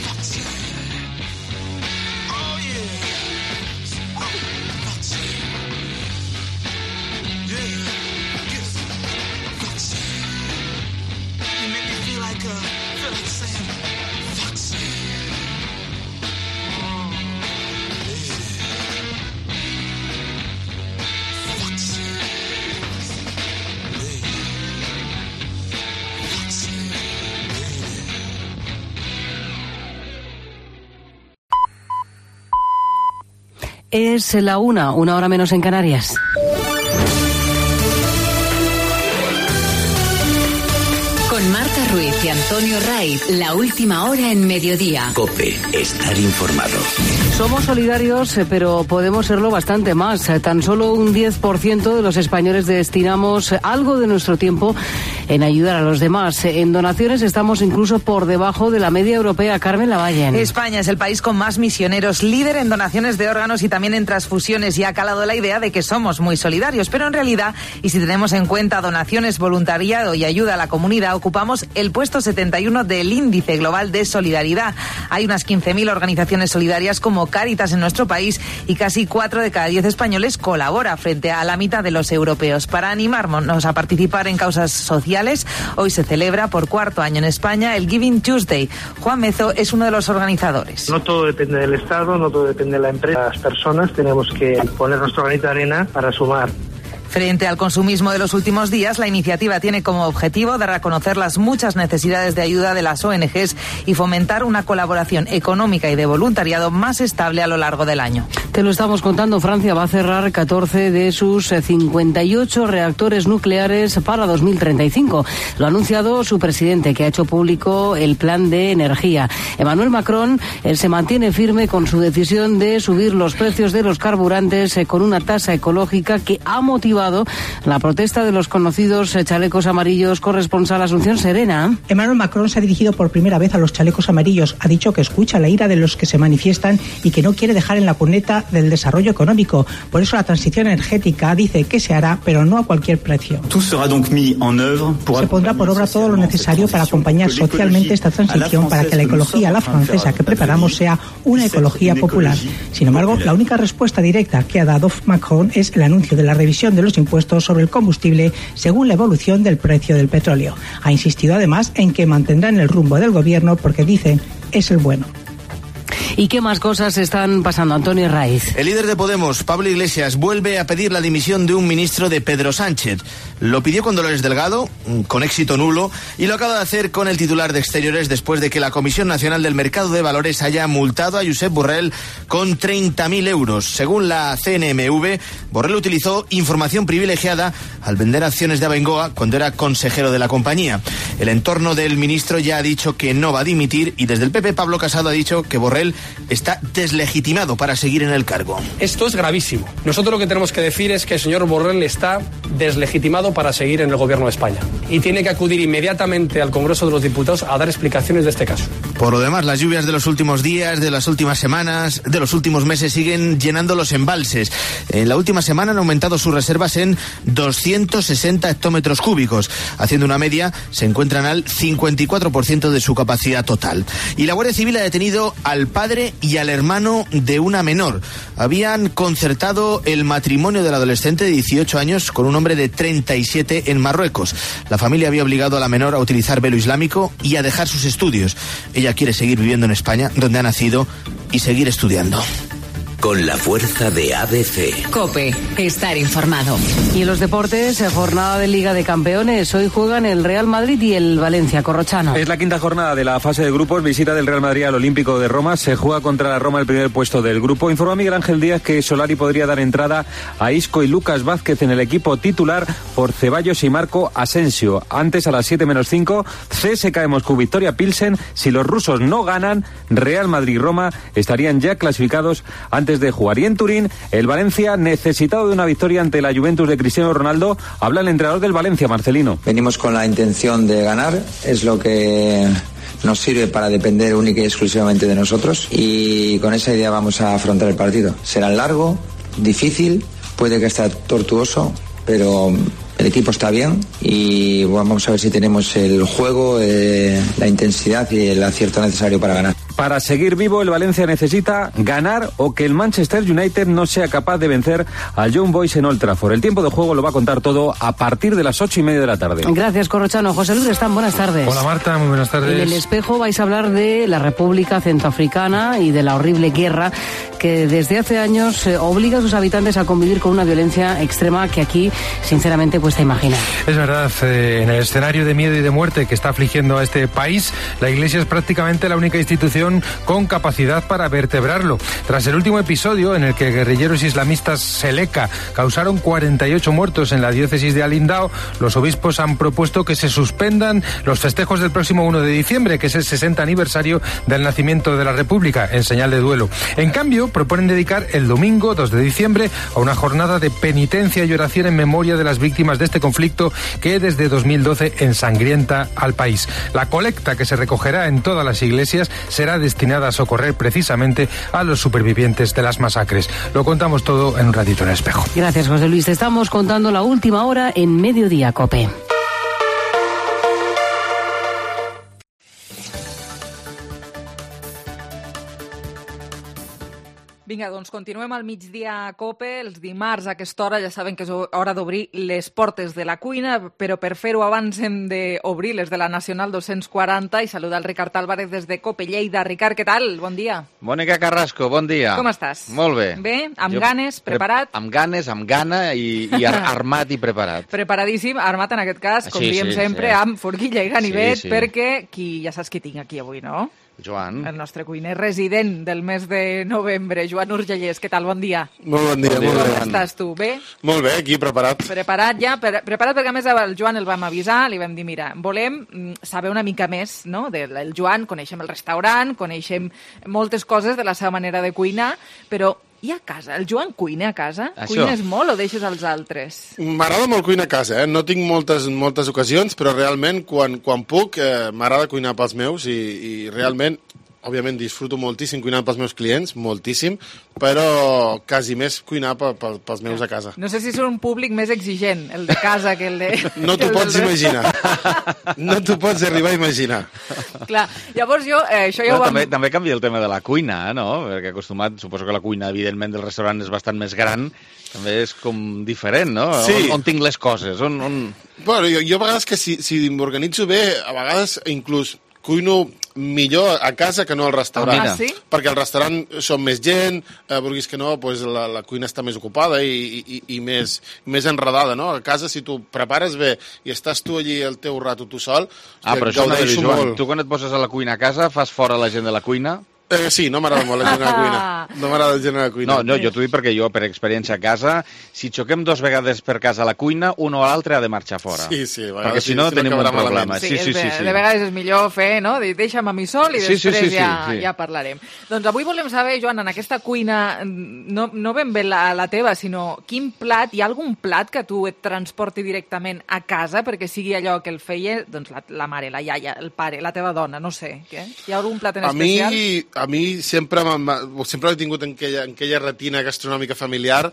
Foxy. Oh yeah, oh Foxy, yeah. Yes, Foxy. You make me feel like saying, Foxy. Oh, lady. Foxy. Lady. Foxy. Lady. Es la 1 hora menos en Canarias. Con Marta Ruiz y Antonio Raiz, la última hora en mediodía. COPE, estar informado. Somos solidarios, pero podemos serlo bastante más. Tan solo un 10% de los españoles destinamos algo de nuestro tiempo en ayudar a los demás. En donaciones estamos incluso por debajo de la media europea. Carmen Lavalle. España es el país con más misioneros, líder en donaciones de órganos y también en transfusiones, y ha calado la idea de que somos muy solidarios. Pero en realidad, y si tenemos en cuenta donaciones, voluntariado y ayuda a la comunidad, ocupamos el puesto 71 del índice global de solidaridad. Hay unas 15.000 organizaciones solidarias como Cáritas en nuestro país, y casi 4 de cada 10 españoles colabora frente a la mitad de los europeos. Para animarnos a participar en causas sociales, hoy se celebra por 4º año en España el Giving Tuesday. Juan Mezo es uno de los organizadores. No todo depende del Estado, no todo depende de la empresa. Las personas tenemos que poner nuestro granito de arena para sumar. Frente al consumismo de los últimos días, la iniciativa tiene como objetivo dar a conocer las muchas necesidades de ayuda de las ONGs y fomentar una colaboración económica y de voluntariado más estable a lo largo del año. Te lo estamos contando, Francia va a cerrar 14 de sus 58 reactores nucleares para 2035. Lo ha anunciado su presidente, que ha hecho público el plan de energía. Emmanuel Macron se mantiene firme con su decisión de subir los precios de los carburantes con una tasa ecológica que ha motivado la protesta de los conocidos chalecos amarillos. Corresponsal Asunción Serena. Emmanuel Macron se ha dirigido por primera vez a los chalecos amarillos. Ha dicho que escucha la ira de los que se manifiestan y que no quiere dejar en la cuneta del desarrollo económico. Por eso la transición energética dice que se hará, pero no a cualquier precio. Se pondrá por obra todo lo necesario para acompañar socialmente esta transición, para que la ecología a la francesa que preparamos sea una ecología popular. Sin embargo, la única respuesta directa que ha dado Macron es el anuncio de la revisión de los impuestos sobre el combustible según la evolución del precio del petróleo. Ha insistido además en que mantendrán el rumbo del gobierno porque dice es el bueno. ¿Y qué más cosas están pasando, Antonio Raiz? El líder de Podemos, Pablo Iglesias, vuelve a pedir la dimisión de un ministro de Pedro Sánchez. Lo pidió con Dolores Delgado, con éxito nulo, y lo acaba de hacer con el titular de Exteriores después de que la Comisión Nacional del Mercado de Valores haya multado a Josep Borrell con 30.000 euros. Según la CNMV, Borrell utilizó información privilegiada al vender acciones de Abengoa cuando era consejero de la compañía. El entorno del ministro ya ha dicho que no va a dimitir y desde el PP Pablo Casado ha dicho que Borrell está deslegitimado para seguir en el cargo. Esto es gravísimo. Nosotros lo que tenemos que decir es que el señor Borrell está deslegitimado para seguir en el gobierno de España y tiene que acudir inmediatamente al Congreso de los Diputados a dar explicaciones de este caso. Por lo demás, las lluvias de los últimos días, de las últimas semanas, de los últimos meses siguen llenando los embalses. En la última semana han aumentado sus reservas en 260 hectómetros cúbicos. Haciendo una media, se encuentran al 54% de su capacidad total. Y la Guardia Civil ha detenido al padre y al hermano de una menor. Habían concertado el matrimonio del adolescente de 18 años con un hombre de 37 en Marruecos. La familia había obligado a la menor a utilizar velo islámico y a dejar sus estudios. Ella quiere seguir viviendo en España, donde ha nacido, y seguir estudiando. Con la fuerza de ABC. COPE, estar informado. Y en los deportes, jornada de Liga de Campeones. Hoy juegan el Real Madrid y el Valencia. Corrochano. Es la quinta jornada de la fase de grupos. Visita del Real Madrid al Olímpico de Roma. Se juega contra la Roma el primer puesto del grupo. Informa Miguel Ángel Díaz que Solari podría dar entrada a Isco y Lucas Vázquez en el equipo titular por Ceballos y Marco Asensio. Antes, a las 7:05, CSKA Moscú, Victoria Pilsen. Si los rusos no ganan, Real Madrid y Roma estarían ya clasificados antes de jugar. Y en Turín, el Valencia, necesitado de una victoria ante la Juventus de Cristiano Ronaldo, habla el entrenador del Valencia, Marcelino. Venimos con la intención de ganar, es lo que nos sirve para depender única y exclusivamente de nosotros, y con esa idea vamos a afrontar el partido. Será largo, difícil, puede que esté tortuoso, pero el equipo está bien y vamos a ver si tenemos el juego, la intensidad y el acierto necesario para ganar. Para seguir vivo, el Valencia necesita ganar o que el Manchester United no sea capaz de vencer al Young Boys en Old Trafford. El tiempo de juego lo va a contar todo a partir de las 8:30 de la tarde. Gracias, Corrochano. José Luis Restán, buenas tardes. Hola, Marta, muy buenas tardes. En El Espejo vais a hablar de la República Centroafricana y de la horrible guerra que desde hace años obliga a sus habitantes a convivir con una violencia extrema que aquí, sinceramente, cuesta imaginar. Es verdad, en el escenario de miedo y de muerte que está afligiendo a este país, la Iglesia es prácticamente la única institución con capacidad para vertebrarlo. Tras el último episodio en el que guerrilleros islamistas Seleka causaron 48 muertos en la diócesis de Alindao, los obispos han propuesto que se suspendan los festejos del próximo 1 de diciembre, que es el 60 aniversario del nacimiento de la República, en señal de duelo. En cambio, proponen dedicar el domingo 2 de diciembre a una jornada de penitencia y oración en memoria de las víctimas de este conflicto que desde 2012 ensangrienta al país. La colecta que se recogerá en todas las iglesias será destinada a socorrer precisamente a los supervivientes de las masacres. Lo contamos todo en un ratito en El Espejo. Gracias, José Luis. Te estamos contando la última hora en Mediodía COPE. Vinga, doncs continuem al migdia a COPE. Els dimarts a aquesta hora ja saben que és hora d'obrir les portes de la cuina, però per fer-ho abans hem d'obrir les de la Nacional 240 i saludar el Ricard Álvarez des de COPE Lleida. Ricard, què tal? Bon dia. Mònica Carrasco, bon dia. Com estàs? Molt bé. Bé? Amb ganes? Preparat? Amb ganes, amb gana i armat i preparat. Preparadíssim, armat en aquest cas, com diem sempre, amb forquilla i ganivet, perquè ja saps qui tinc aquí avui, no? Joan. El nostre cuiner resident del mes de novembre, Joan Urgellès. Què tal? Bon dia. Molt bon dia. Com estàs tu? Bé? Molt bé, aquí preparat. Preparat ja? Preparat perquè a més el Joan el vam avisar, li vam dir, mira, volem saber una mica més, no?, del Joan, coneixem el restaurant, coneixem moltes coses de la seva manera de cuinar, però i a casa? El Joan cuina a casa? Això. Cuines molt o deixes als altres? M'agrada molt cuinar a casa, no tinc moltes ocasions, però realment quan puc m'agrada cuinar pels meus i realment, òbviament, disfruto moltíssim cuinant pels meus clients, moltíssim, però quasi més cuinar pels meus a casa. No sé si és un públic més exigent, el de casa, que el de... No t'ho pots imaginar. No t'ho pots arribar a imaginar. Clar, llavors això ja ho vam... També canvia el tema de la cuina, no? Perquè acostumat, suposo que la cuina, evidentment, del restaurant és bastant més gran, també és com diferent, no? Sí. On tinc les coses? Bueno, jo a vegades que si m'organitzo bé, a vegades inclús cuino millor a casa que no al restaurant. Ah, sí? Perquè al restaurant som més gent, vulguis que no, pues la cuina està més ocupada i més enredada, no? A casa, si tu prepares bé i estàs tu allí el teu rato tu sol, però això no és, Joan. Tu quan et poses a la cuina a casa fas fora la gent de la cuina? Sí, no m'agrada molt la gent a la cuina. No m'agrada la gent a la cuina. No, jo t'ho dic perquè jo, per experiència a casa, si xoquem 2 vegades per casa a la cuina, un o l'altre ha de marxar fora. Sí, perquè si no tenim un problema. Sí. De vegades és millor fer, no? Deixa'm a mi sol i després ja parlarem. Doncs avui volem saber, Joan, en aquesta cuina, no ben bé la teva, sinó quin plat, hi ha algun plat que tu et transporti directament a casa perquè sigui allò que el feia doncs, la mare, la iaia, el pare, la teva dona, no sé. Què? Hi ha algun plat en especial? A mi sempre he tingut en aquella retina gastronòmica familiar,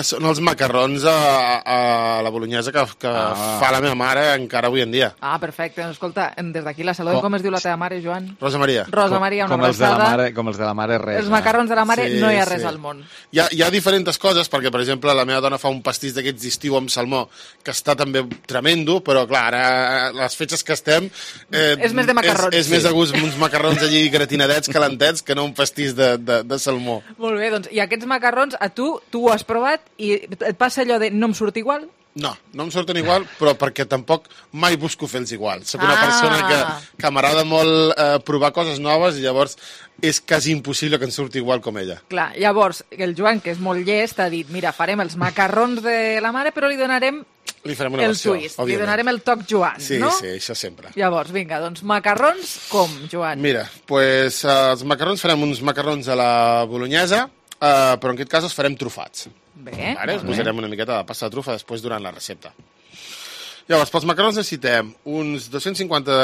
són els macarrons a la bolognesa que fa la meva mare encara avui en dia. Ah, perfecte. Escolta, des d'aquí la saludem. Com es diu la teva mare, Joan? Rosa Maria. Rosa Maria, una abraçada. Com els de la mare, res. Els macarrons de la mare no hi ha res al món. Hi ha diferents coses, perquè, per exemple, la meva dona fa un pastís d'aquests d'estiu amb salmó, que està també tremendo, però, clar, ara, les fetges que estem... És més de macarrons. És més a gust uns macarrons allí gratinadets, calentets, que no un pastís de salmó. Molt bé, doncs, i aquests macarrons, tu ho has provat i et passa allò de no em surt igual? No em surten igual, però perquè tampoc mai busco fer-los igual. Soc una persona que m'agrada molt provar coses noves i llavors és quasi impossible que em surti igual com ella. Clar, llavors, el Joan, que és molt llest, ha dit, mira, farem els macarrons de la mare, però li donarem farem una versió, twist, li donarem el toc Joan, no? Sí, això sempre. Llavors, vinga, doncs macarrons com, Joan? Mira, doncs els macarrons farem uns macarrons a la bolognesa, però en aquest cas els farem trufats. Bé. Vale? Els posarem una miqueta de pasta de trufa després durant la recepta. Llavors, pels macarrons necessitem uns 250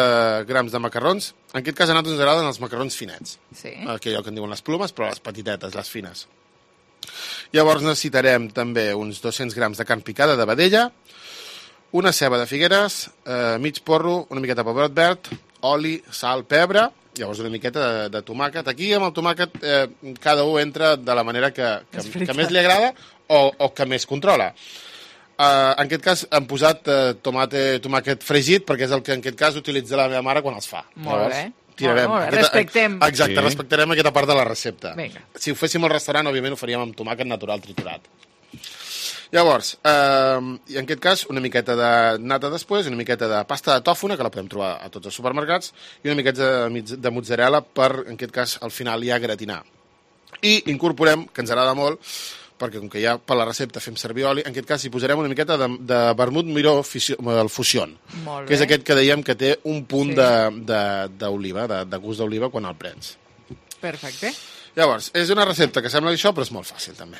grams de macarrons. En aquest cas a nosaltres ens agraden els macarrons finets. Sí. Allò que en diuen les plomes, però les petitetes, les fines. Llavors necessitarem també uns 200 grams de carn picada de vedella, una ceba de figueres, mig porro, una miqueta de pebrot verd, oli, sal, pebre, llavors una miqueta de tomàquet. Aquí amb el tomàquet cada un entra de la manera que més li agrada o que més controla. En aquest cas hem posat tomàquet fregit perquè és el que en aquest cas utilitza la meva mare quan els fa. Molt bé. Respectem. Exacte, respectarem aquesta part de la recepta. Vinga. Si ho féssim al restaurant, òbviament ho faríem amb tomàquet natural triturat. Llavors, en aquest cas, una miqueta de nata després, una miqueta de pasta de tòfona, que la podem trobar a tots els supermercats, i una miqueta de mozzarella per, en aquest cas, al final ja gratinar. I incorporem, que ens agrada molt, perquè com que ja per la recepta fem servir oli, en aquest cas hi posarem una miqueta de vermut miró del Fusion, que és aquest que dèiem que té un punt d'oliva, de gust d'oliva quan el prens. Perfecte. Llavors, és una recepta que sembla això, però és molt fàcil també.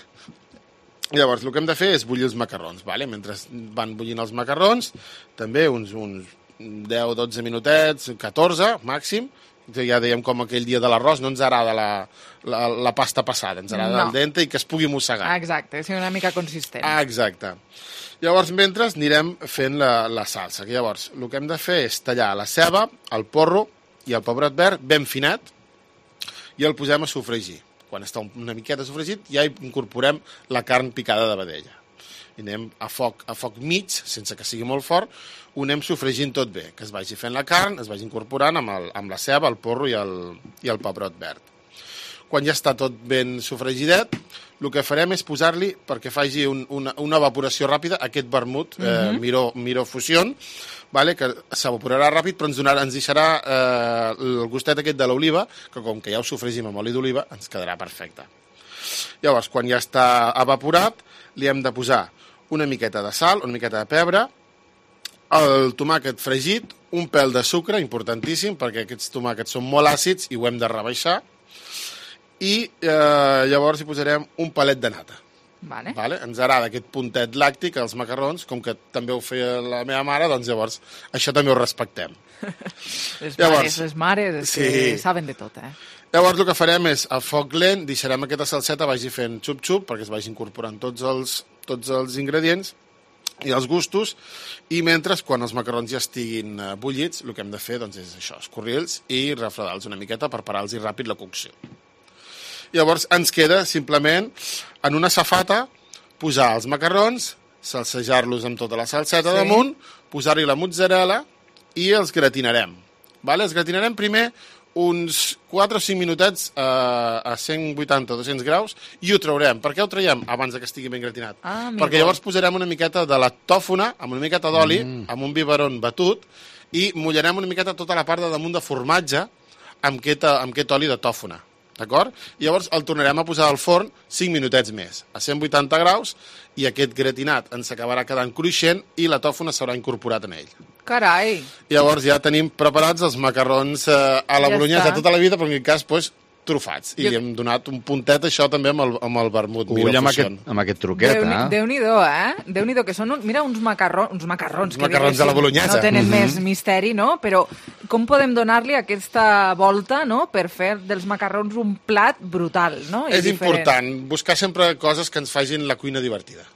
Llavors, el que hem de fer és bullir els macarrons, vale? Mentre van bullint els macarrons, també uns 10-12 minutets, 14 màxim, ja dèiem com aquell dia de l'arròs, no ens agrada la pasta passada, ens agrada el dente i que es pugui mossegar. Exacte, és una mica consistent. Exacte. Llavors, mentre anirem fent la salsa. Llavors, el que hem de fer és tallar la ceba, el porro i el pebrot verd ben finet i el posem a sofregir. Quan està una miqueta sofregit, ja hi incorporem la carn picada de vedella. I anem a foc mig, sense que sigui molt fort, ho anem sofregint tot bé, que es vagi fent la carn, es vagi incorporant amb la ceba, el porro i el pebrot verd. Quan ja està tot ben sofregidet, el que farem és posar-li, perquè faci una evaporació ràpida, aquest vermut Miro Fusion, que s'evaporarà ràpid, però ens deixarà el gustet aquest de l'oliva, que com que ja ho sofregim amb oli d'oliva, ens quedarà perfecte. Llavors, quan ja està evaporat, li hem de posar una miqueta de sal, una miqueta de pebre, el tomàquet fregit, un pèl de sucre, importantíssim, perquè aquests tomàquets són molt àcids i ho hem de rebaixar, i llavors hi posarem un palet de nata. Vale? Ens agrada aquest puntet làctic als macarrons, com que també ho feia la meva mare, doncs llavors això també ho respectem. Les mares que saben de tot, Llavors el que farem és, a foc lent, deixarem aquesta salseta vagi fent xup-xup, perquè es vagi incorporant tots els ingredients i els gustos, i mentre, quan els macarrons ja estiguin bullits, el que hem de fer doncs, és això, escorrir-los i refredar-los una miqueta per parar-los ràpid la cocció. Llavors ens queda simplement en una safata posar els macarrons, salsejar-los amb tota la salseta damunt, posar-hi la mozzarella i els gratinarem. Els gratinarem primer uns 4 o 5 minutets a 180 o 200 graus i ho traurem. Per què ho traiem abans que estigui ben gratinat? Perquè llavors posarem una miqueta de la tòfona amb una miqueta d'oli, amb un biberon batut, i mullarem una miqueta tota la part de damunt de formatge amb aquest oli de tòfona. D'acord? Llavors el tornarem a posar al forn 5 minutets més, a 180 graus, i aquest gratinat ens acabarà quedant cruixent i la tòfona s'haurà incorporat en ell. Carai! Llavors ja tenim preparats els macarrons a la bolognesa de tota la vida, però en aquest cas, trufats. I li hem donat un puntet, això també, amb el vermut Miro Fusion. Amb aquest truquet, Déu-n'hi-do, Déu-n'hi-do, que són, mira, uns macarrons de la bolognesa. No tenen més misteri, no? Però com podem donar-li aquesta volta, no?, per fer dels macarrons un plat brutal, no? És important buscar sempre coses que ens facin la cuina divertida.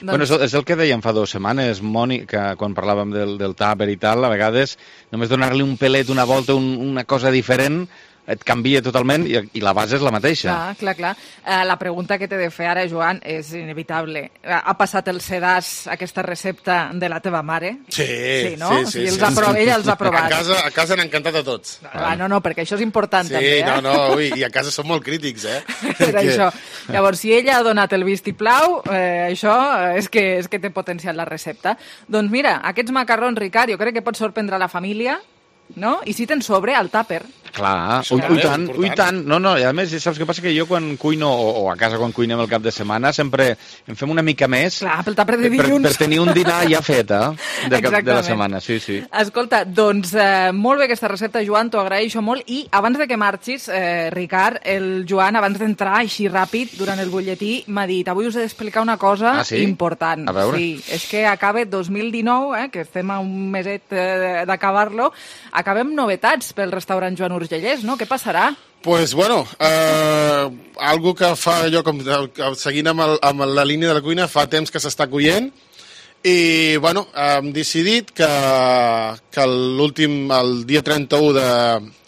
Bueno, és el que dèiem fa 2 setmanes, Moni, que quan parlàvem del tàper i tal, a vegades només donar-li un pelet, una volta, una cosa diferent, et canvia totalment i la base és la mateixa. Clar. La pregunta que t'he de fer ara, Joan, és inevitable. Ha passat el sedàs, aquesta recepta de la teva mare? Sí, no? Sí. Ella els ha provat. A casa han encantat a tots. No, perquè això és important també. Sí, i a casa som molt crítics, Per això. Llavors, si ella ha donat el vistiplau, això és que té potencial la recepta. Doncs mira, aquests macarrons, Ricard, jo crec que pot sorprendre la família, no? I si tens sobre, al tàper. Clar, i tant. No, i a més, saps què passa? Que jo quan cuino, o a casa quan cuinem el cap de setmana, sempre en fem una mica més. Clar, pel tàper de dilluns. Per tenir un dinar ja fet, de la setmana, sí. Escolta, doncs, molt bé aquesta recepta, Joan, t'ho agraeixo molt. I abans de que marxis, Ricard, el Joan, abans d'entrar així ràpid durant el butlletí, m'ha dit, avui us he d'explicar una cosa important. A veure. Sí, és que acaba 2019, que estem a un meset d'acabar-lo, acabem novetats pel restaurant Joan Urgellès, no? Què passarà? Pues bueno, algo que fa allò, com seguint amb la línia de la cuina, fa temps que s'està coient, i bueno, hem decidit que el dia 31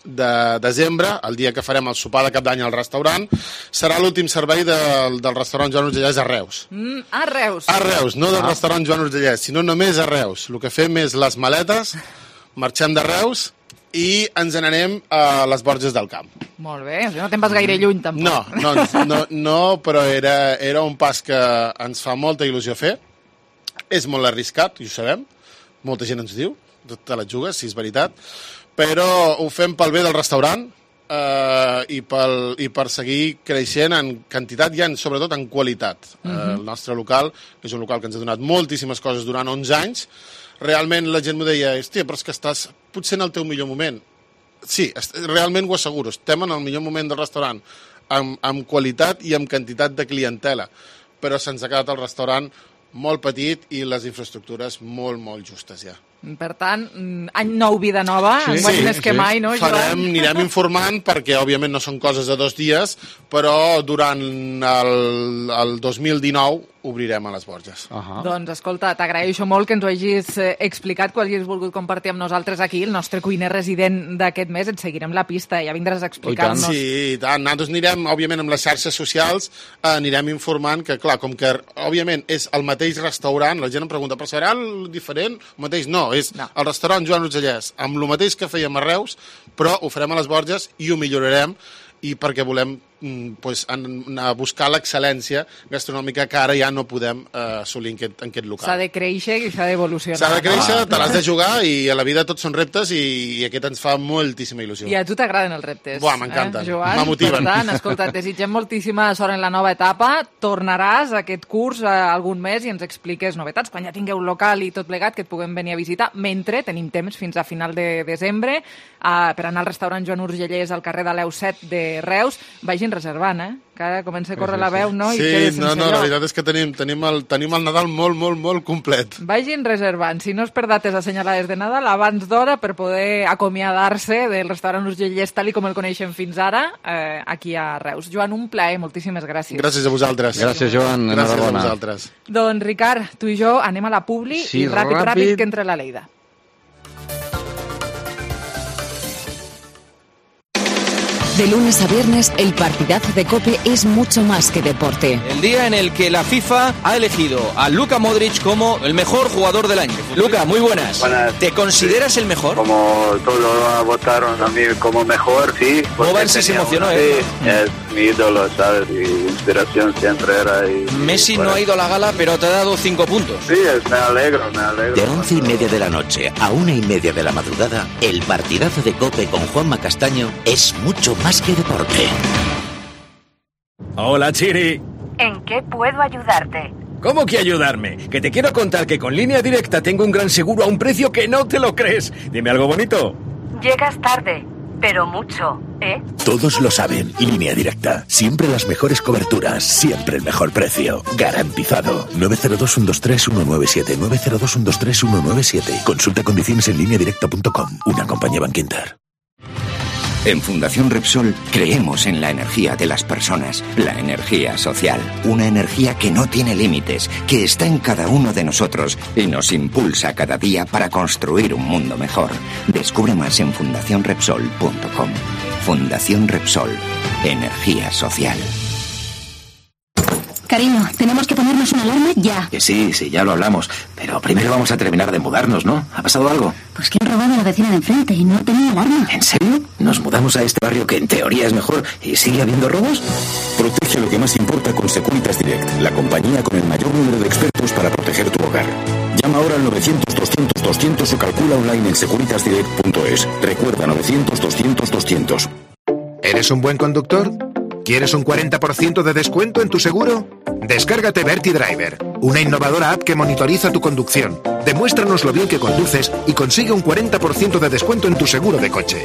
de desembre, el dia que farem el sopar de cap d'any al restaurant, serà l'últim servei del restaurant Joan Urgellès a Reus. A Reus? A Reus, no del restaurant Joan Urgellès, sinó només a Reus. El que fem és les maletes, marxem de Reus i ens n'anem a les Borges del Camp. Molt bé, no te'n vas gaire lluny, tampoc. No, però era un pas que ens fa molta il·lusió fer. És molt arriscat, i ho sabem. Molta gent ens diu, te la jugues, si és veritat. Però ho fem pel bé del restaurant i per seguir creixent en quantitat i sobretot en qualitat. El nostre local és un local que ens ha donat moltíssimes coses durant 11 anys. Realment la gent m'ho deia, hòstia, però és que estàs potser en el teu millor moment. Sí, realment ho asseguro, estem en el millor moment del restaurant, amb qualitat i amb quantitat de clientela, però se'ns ha quedat el restaurant molt petit i les infraestructures molt, molt justes ja. Per tant, any nou, vida nova, més que mai, no, Joan? Anirem informant perquè, òbviament, no són coses de 2 dies, però durant el 2019 obrirem a les Borges. Doncs, escolta, t'agraeixo molt que ens ho hagis explicat, que ho hagis volgut compartir amb nosaltres aquí, el nostre cuiner resident d'aquest mes. Et seguirem la pista, ja vindràs a explicar-nos. Sí, i tant. Nosaltres anirem, òbviament, amb les xarxes socials, anirem informant que, clar, com que, òbviament, és el mateix restaurant, la gent em pregunta, però serà el diferent? El mateix? No, és el restaurant Joan Urgellès, amb el mateix que fèiem a Reus, però ho farem a les Borges i ho millorarem, i perquè volem anar a buscar l'excel·lència gastronòmica que ara ja no podem assolir en aquest local. S'ha de créixer i s'ha d'evolucionar. S'ha de créixer, te l'has de jugar, i a la vida tots són reptes, i aquest ens fa moltíssima il·lusió. I a tu t'agraden els reptes. Buah, m'encanten, Per m'amotiven. tant, escolta, et desitgem moltíssima sort en la nova etapa. Tornaràs a aquest curs algun mes i ens expliques novetats, quan ja tingueu local i tot plegat, que et puguem venir a visitar. Mentre tenim temps fins a final de desembre per anar al restaurant Joan Urgellès al carrer de l'Eu 7 de Reus. Vagin reservant, que ara comença a córrer la veu, no? Sí, no, la veritat és que tenim el Nadal molt complet. Vagin reservant, si no és per dates assenyalades de Nadal, abans d'hora, per poder acomiadar-se del restaurant Urgellès tal com el coneixem fins ara, aquí a Reus. Joan, un plaer, moltíssimes gràcies. Gràcies a vosaltres. Gràcies, Joan, gràcies enhorabona. a vosaltres. Doncs, Ricard, tu i jo anem a la publi i ràpid, que entre la Leida. De lunes a viernes, el partidazo de COPE es mucho más que deporte. El día en el que la FIFA ha elegido a Luka Modric como el mejor jugador del año. Luka, muy buenas. Buenas. ¿Te consideras el mejor? Como todos votaron a mí como mejor, sí. Boban se emocionó, Sí, es mi ídolo, ¿sabes? Mi inspiración siempre era... Messi no ha ido a la gala, pero te ha dado 5 puntos. Sí, me alegro. De 11:30 de la noche a 1:30 de la madrugada, el partidazo de COPE con Juanma Castaño es mucho más que deporte. Hola, Chiri. ¿En qué puedo ayudarte? ¿Cómo que ayudarme? Que te quiero contar que con Línea Directa tengo un gran seguro a un precio que no te lo crees. Dime algo bonito. Llegas tarde, pero mucho, ¿eh? Todos lo saben. Línea Directa. Siempre las mejores coberturas. Siempre el mejor precio. Garantizado. 902-123-197. 902-123-197. Consulta condiciones en lineadirecta.com. Una compañía Bankinter. En Fundación Repsol creemos en la energía de las personas, la energía social, una energía que no tiene límites, que está en cada uno de nosotros y nos impulsa cada día para construir un mundo mejor. Descubre más en fundacionrepsol.com. Fundación Repsol, energía social. Cariño, tenemos que ponernos una alarma ya. Sí, ya lo hablamos. Pero primero vamos a terminar de mudarnos, ¿no? ¿Ha pasado algo? Pues que han robado a la vecina de enfrente y no tenía alarma. ¿En serio? ¿Nos mudamos a este barrio que en teoría es mejor y sigue habiendo robos? Protege lo que más importa con Securitas Direct, la compañía con el mayor número de expertos para proteger tu hogar. Llama ahora al 900-200-200 o calcula online en securitasdirect.es. Recuerda, 900-200-200. ¿Eres un buen conductor? ¿Quieres un 40% de descuento en tu seguro? Descárgate Verti Driver, una innovadora app que monitoriza tu conducción. Demuéstranos lo bien que conduces y consigue un 40% de descuento en tu seguro de coche.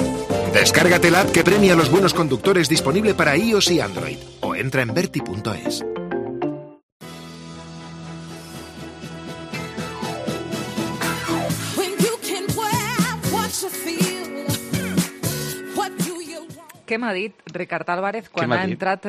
Descárgate la app que premia a los buenos conductores, disponible para iOS y Android. O entra en verti.es. Què m'ha dit Ricard Álvarez quan ha entrat...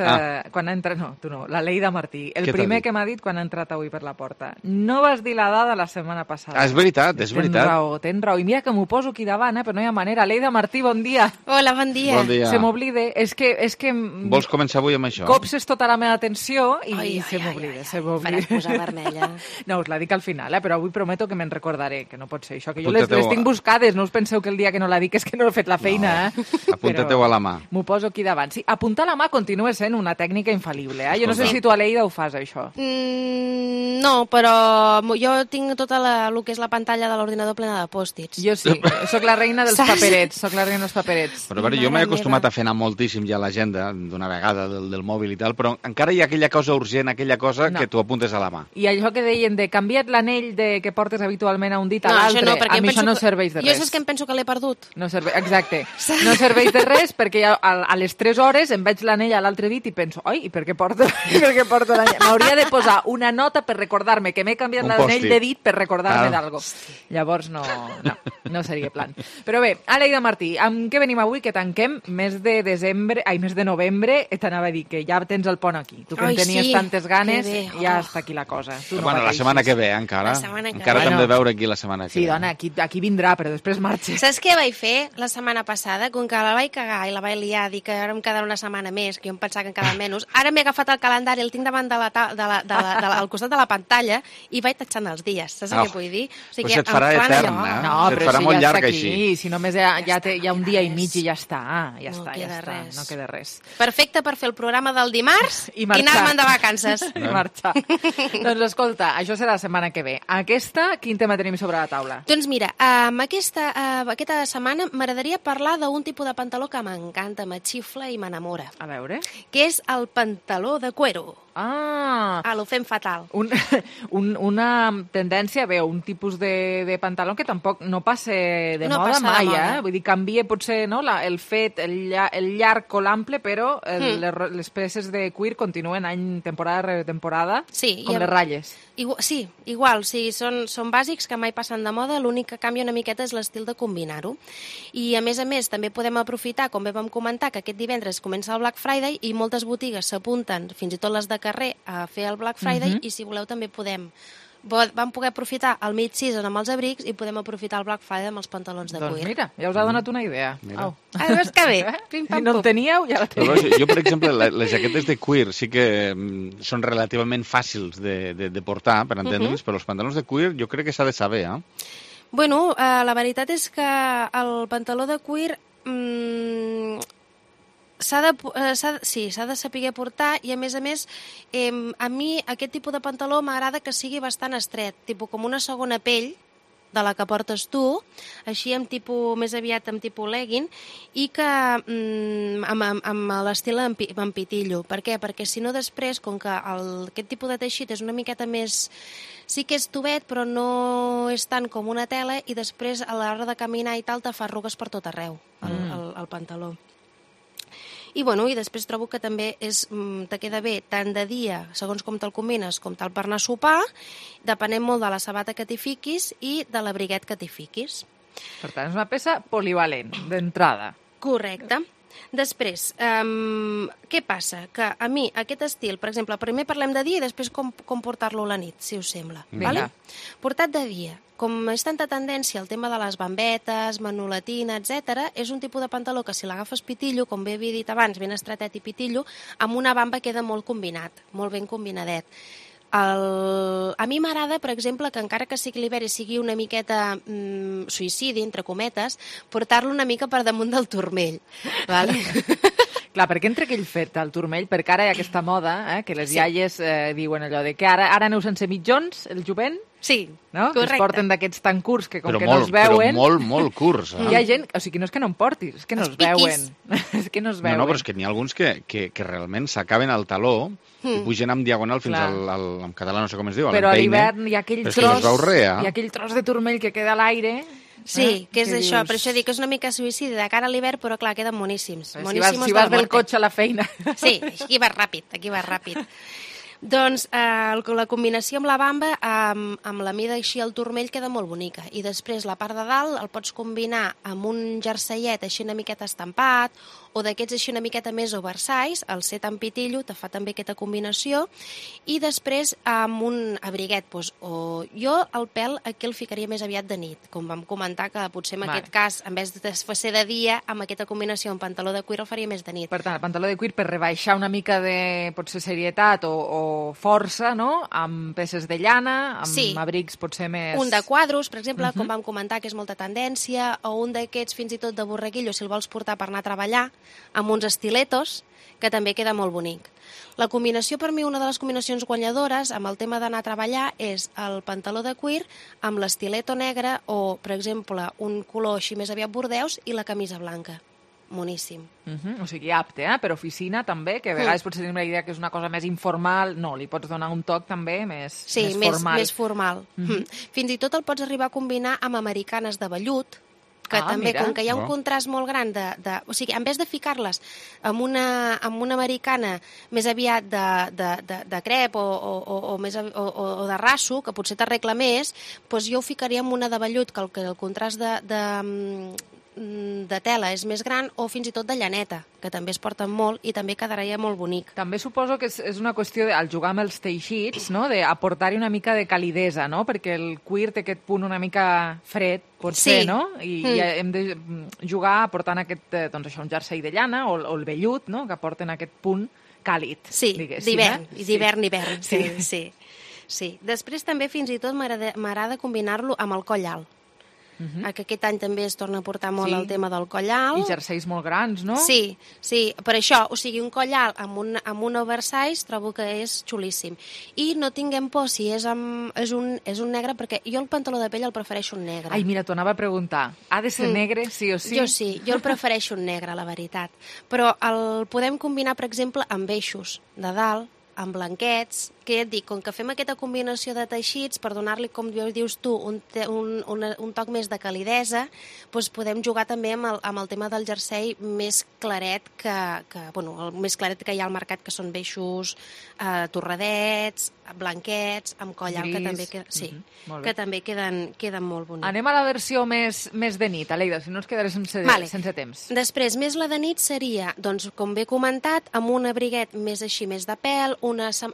No, tu no, la Leida Martí. El primer que m'ha dit quan ha entrat avui per la porta. No vas dir la dada la setmana passada. És veritat. Tens raó. I mira que m'ho poso aquí davant, però no hi ha manera. Leida Martí, bon dia. Hola, bon dia. Bon dia. Se m'oblida. És que... Vols començar avui amb això? Copses tota la meva atenció i se m'oblida. Faràs posar vermella. No, us la dic al final, però avui prometo que me'n recordaré, que no pot ser això, que jo les tinc buscades. No us penseu que el dia que no la dic és que no he fet la feina. Apunta-te-ho a la mà. M'ho poso aquí davant. Sí, apuntar la mà continua sent una tècnica infal·lible. Jo no sé si tu, Aleida, ho fas, això. No, però jo tinc tota el que és la pantalla de l'ordinador plena de pòstits. Jo sí, sóc la reina dels paperets. Però a veure, jo m'he acostumat a fer anar moltíssim ja a l'agenda d'una vegada del mòbil i tal, però encara hi ha aquella cosa urgent, aquella cosa que tu apuntes a la mà. I això que deien de canvia't l'anell que portes habitualment a un dit a l'altre, a mi això no serveix de res. Jo saps que em penso que l'he perdut. Exacte. No serveix de res perquè a les 3 hores em veig l'anell a l'altre dit i penso, oi, i per què porto l'anell? M'hauria de posar una nota per recordar-me que m'he canviat l'anell de dit per recordar-me d'algo. Llavors no seria plan. Però bé, Aleida Martí, amb què venim avui? Que tanquem mes de novembre, t'anava a dir que ja tens el pont aquí. Tu que en tenies tantes ganes, ja està aquí la cosa. Bueno, la setmana que ve, encara. Encara t'hem de veure aquí la setmana que ve. Sí, dona, aquí vindrà, però després marxa. Saps què vaig fer la setmana passada? Com que la vaig cagar i la vaig liar, dir que ara em quedarà una setmana més, que jo em pensava que en quedava menys, ara m'he agafat el calendari, el tinc davant al costat de la pantalla i vaig tatxant els dies, saps què vull dir? O sigui, se't farà etern, eh? No, però si ja està aquí, si només hi ha un dia i mig i ja està, no queda res. Perfecte per fer el programa del dimarts i anar-me'n de vacances. I marxar. Doncs escolta, això serà la setmana que ve. Aquesta, quin tema tenim sobre la taula? Doncs mira, aquesta setmana m'agradaria parlar d'un tipus de pantaló que m'encanta, m'xifla i m'enamora. A veure. Que és el pantaló de cuero. Lo fem fatal. Una tendència, un tipus de pantaló que tampoc no passa de moda mai, Vull dir, canvia potser el fet, el llarg o l'ample, però les peces de cuir continuen any, temporada rere temporada, com les ratlles. Sí, igual, són bàsics que mai passen de moda, l'únic que canvia una miqueta és l'estil de combinar-ho. I a més, també podem aprofitar, com bé vam comentar, que aquest divendres comença el Black Friday i moltes botigues s'apunten, fins i tot les de carrer, a fer el Black Friday i si voleu també vam poder aprofitar el mid-season amb els abrics i podem aprofitar el Black Friday amb els pantalons de cuir. Doncs mira, ja us ha donat una idea. Veus que bé? Si no el teníeu, ja la teniu. Jo, per exemple, les jaquetes de cuir sí que són relativament fàcils de portar, per entendre'ns, però els pantalons de cuir jo crec que s'ha de saber, Bueno, la veritat és que el pantaló de cuir s'ha de saber portar i, a més, a mi aquest tipus de pantaló m'agrada que sigui bastant estret, tipus com una segona pell de la que portes tu, així més aviat amb tipus legging, i que amb l'estil en pitillo. Per què? Perquè si no després, com que aquest tipus de teixit és una miqueta més... Sí que és tubet, però no és tant com una tela, i després a l'hora de caminar i tal te fa arrugues per tot arreu, el pantaló. I després trobo que també te queda bé tant de dia, segons com te'l combines, com tal per anar a sopar, depenent molt de la sabata que t'hi fiquis i de l'abriguet que t'hi fiquis. Per tant, és una peça polivalent, d'entrada. Correcte. Després, què passa? Que a mi aquest estil, per exemple, primer parlem de dia i després com portar-lo a la nit, si us sembla. Portat de dia, com és tanta tendència al tema de les bambetes, manolatina, etc., és un tipus de pantaló que si l'agafes pitillo, com bé havia dit abans, ben estretet i pitillo, amb una bamba queda molt combinat, molt ben combinadet. A mi m'agrada, per exemple, que encara que sigui l'hivern i sigui una miqueta suïcidi, entre cometes, portar-lo una mica per damunt del turmell. Clar, perquè entre aquell fet al turmell, perquè ara hi ha aquesta moda, que les iaies diuen allò de que ara aneu sense mitjons, el jovent, sí, no? Correcte. Que es porten d'aquests tan curts que com que no es veuen... Però molt curts. Hi ha gent... O sigui, no és que no en portis, és que no es veuen. És que no es veuen. No, però és que n'hi ha alguns que realment s'acaben al taló i pugen amb diagonal fins en català no sé com es diu, a però l'empeine. Però a l'hivern hi ha aquell tros de turmell que queda a l'aire... Sí, que és això, per això dic que és una mica suïcidi de cara a l'hivern, però clar, queden moníssims. Si vas del cotxe a la feina. Sí, aquí vas ràpid. Doncs la combinació amb la bamba, amb la mida així al turmell, queda molt bonica. I després la part de dalt el pots combinar amb un jerseiet així una miqueta estampat, o d'aquests així una miqueta més oversize, el set en pitillo, te fa també aquesta combinació, i després amb un abriguet. Jo el pèl aquí el ficaria més aviat de nit, com vam comentar que potser en aquest cas, en vez de ser de dia, amb aquesta combinació amb pantaló de cuir el faria més de nit. Per tant, el pantaló de cuir per rebaixar una mica de, potser, serietat o força, no? Amb peces de llana, amb abrics potser més... Un de quadros, per exemple, com vam comentar, que és molta tendència, o un d'aquests fins i tot de borreguillo, si el vols portar per anar a treballar, amb uns estiletos, que també queda molt bonic. La combinació, per mi, una de les combinacions guanyadores amb el tema d'anar a treballar és el pantaló de cuir amb l'estileto negre o, per exemple, un color així més aviat bordeus i la camisa blanca. Moníssim. O sigui, apte, per oficina també, que a vegades potser tenim la idea que és una cosa més informal. No, li pots donar un toc també més formal. Sí, més formal. Fins i tot el pots arribar a combinar amb americanes de vellut, que també, mira. com que hi ha un contrast molt gran o sigui, en vez de ficar-les amb una americana més aviat de crep o de raso, que potser t'arregla més, doncs jo ho ficaria amb una de vellut, que el contrast de tela és més gran, o fins i tot de llaneta, que també es porten molt i també quedaria molt bonic. També suposo que és una qüestió, al jugar amb els teixits, no? D'aportar-hi una mica de calidesa, no? Perquè el cuir té aquest punt una mica fred, potser, no? I hem de jugar aportant doncs això, un jersei de llana o el vellut, no? Que aporten aquest punt càlid. Sí, d'hivern, d'hivern. Sí. Després també fins i tot m'agrada combinar-lo amb el coll alt. Que aquest any també es torna a portar molt el tema del coll alt. I jerseis molt grans, no? Sí, per això, o sigui, un coll alt amb un oversize trobo que és xulíssim. I no tinguem por si és un negre, perquè jo el pantaló de pell el prefereixo un negre. Ai, mira, t'ho anava a preguntar. Ha de ser negre, sí o sí? Jo sí, jo el prefereixo un negre, la veritat. Però el podem combinar, per exemple, amb eixos de dalt, amb blanquets, que ja et dic, com que fem aquesta combinació de teixits, per donar-li, com dius tu, un toc més de calidesa, doncs podem jugar també amb el tema del jersei més claret el més claret que hi ha al mercat, que són beixos torradets, blanquets, amb coll alt, que també queden molt bonics. Anem a la versió més de nit, Aleida, si no ens quedaré sense temps. Després, més la de nit seria, doncs, com bé comentat, amb un abriguet més així, més de pèl,